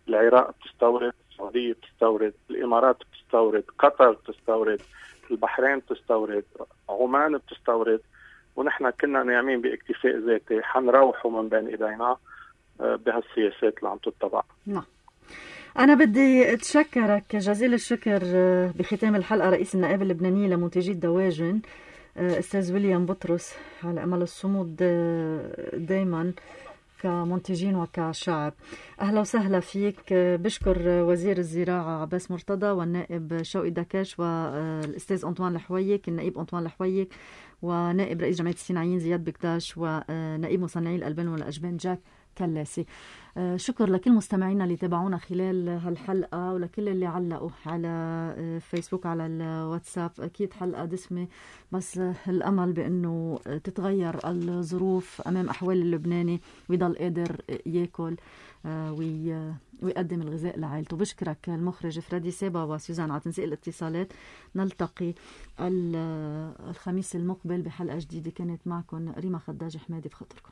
العراق بتستورد، السعودية بتستورد، الإمارات بتستورد، قطر بتستورد، البحرين بتستورد، عمان بتستورد، ونحن كنا نايمين باكتفاء ذاتي. حنروحوا من بين ايدينا بهالسياسات اللي عم تتبع. نعم. أنا بدي أتشكرك جزيل الشكر بختام الحلقة رئيس النقابة اللبنانية لمنتجي الدواجن أستاذ ويليام بطرس، على أمل الصمود دايما كمنتجين وكشعب. أهلا وسهلا فيك. بشكر وزير الزراعة عباس مرتضى والنائب شوقي دكاش والأستاذ أنطوان الحويك، النائب أنطوان الحويك، ونائب رئيس جمعية الصناعيين زياد بكداش، ونائب مصنعي الألبان والأجبان جاك كلاسي. شكر لكل مستمعينا اللي تابعونا خلال هالحلقة، ولكل اللي علقوا على فيسبوك على الواتساب. أكيد حلقة دسمة، بس الأمل بأنه تتغير الظروف أمام أحوال اللبناني ويضل قادر يأكل ويقدم الغذاء لعائلته. بشكرك المخرج فريدي سيبا وسوزان على تنسيق الاتصالات. نلتقي الخميس المقبل بحلقة جديدة. كانت معكم ريما خداج حمادي بخاطركم.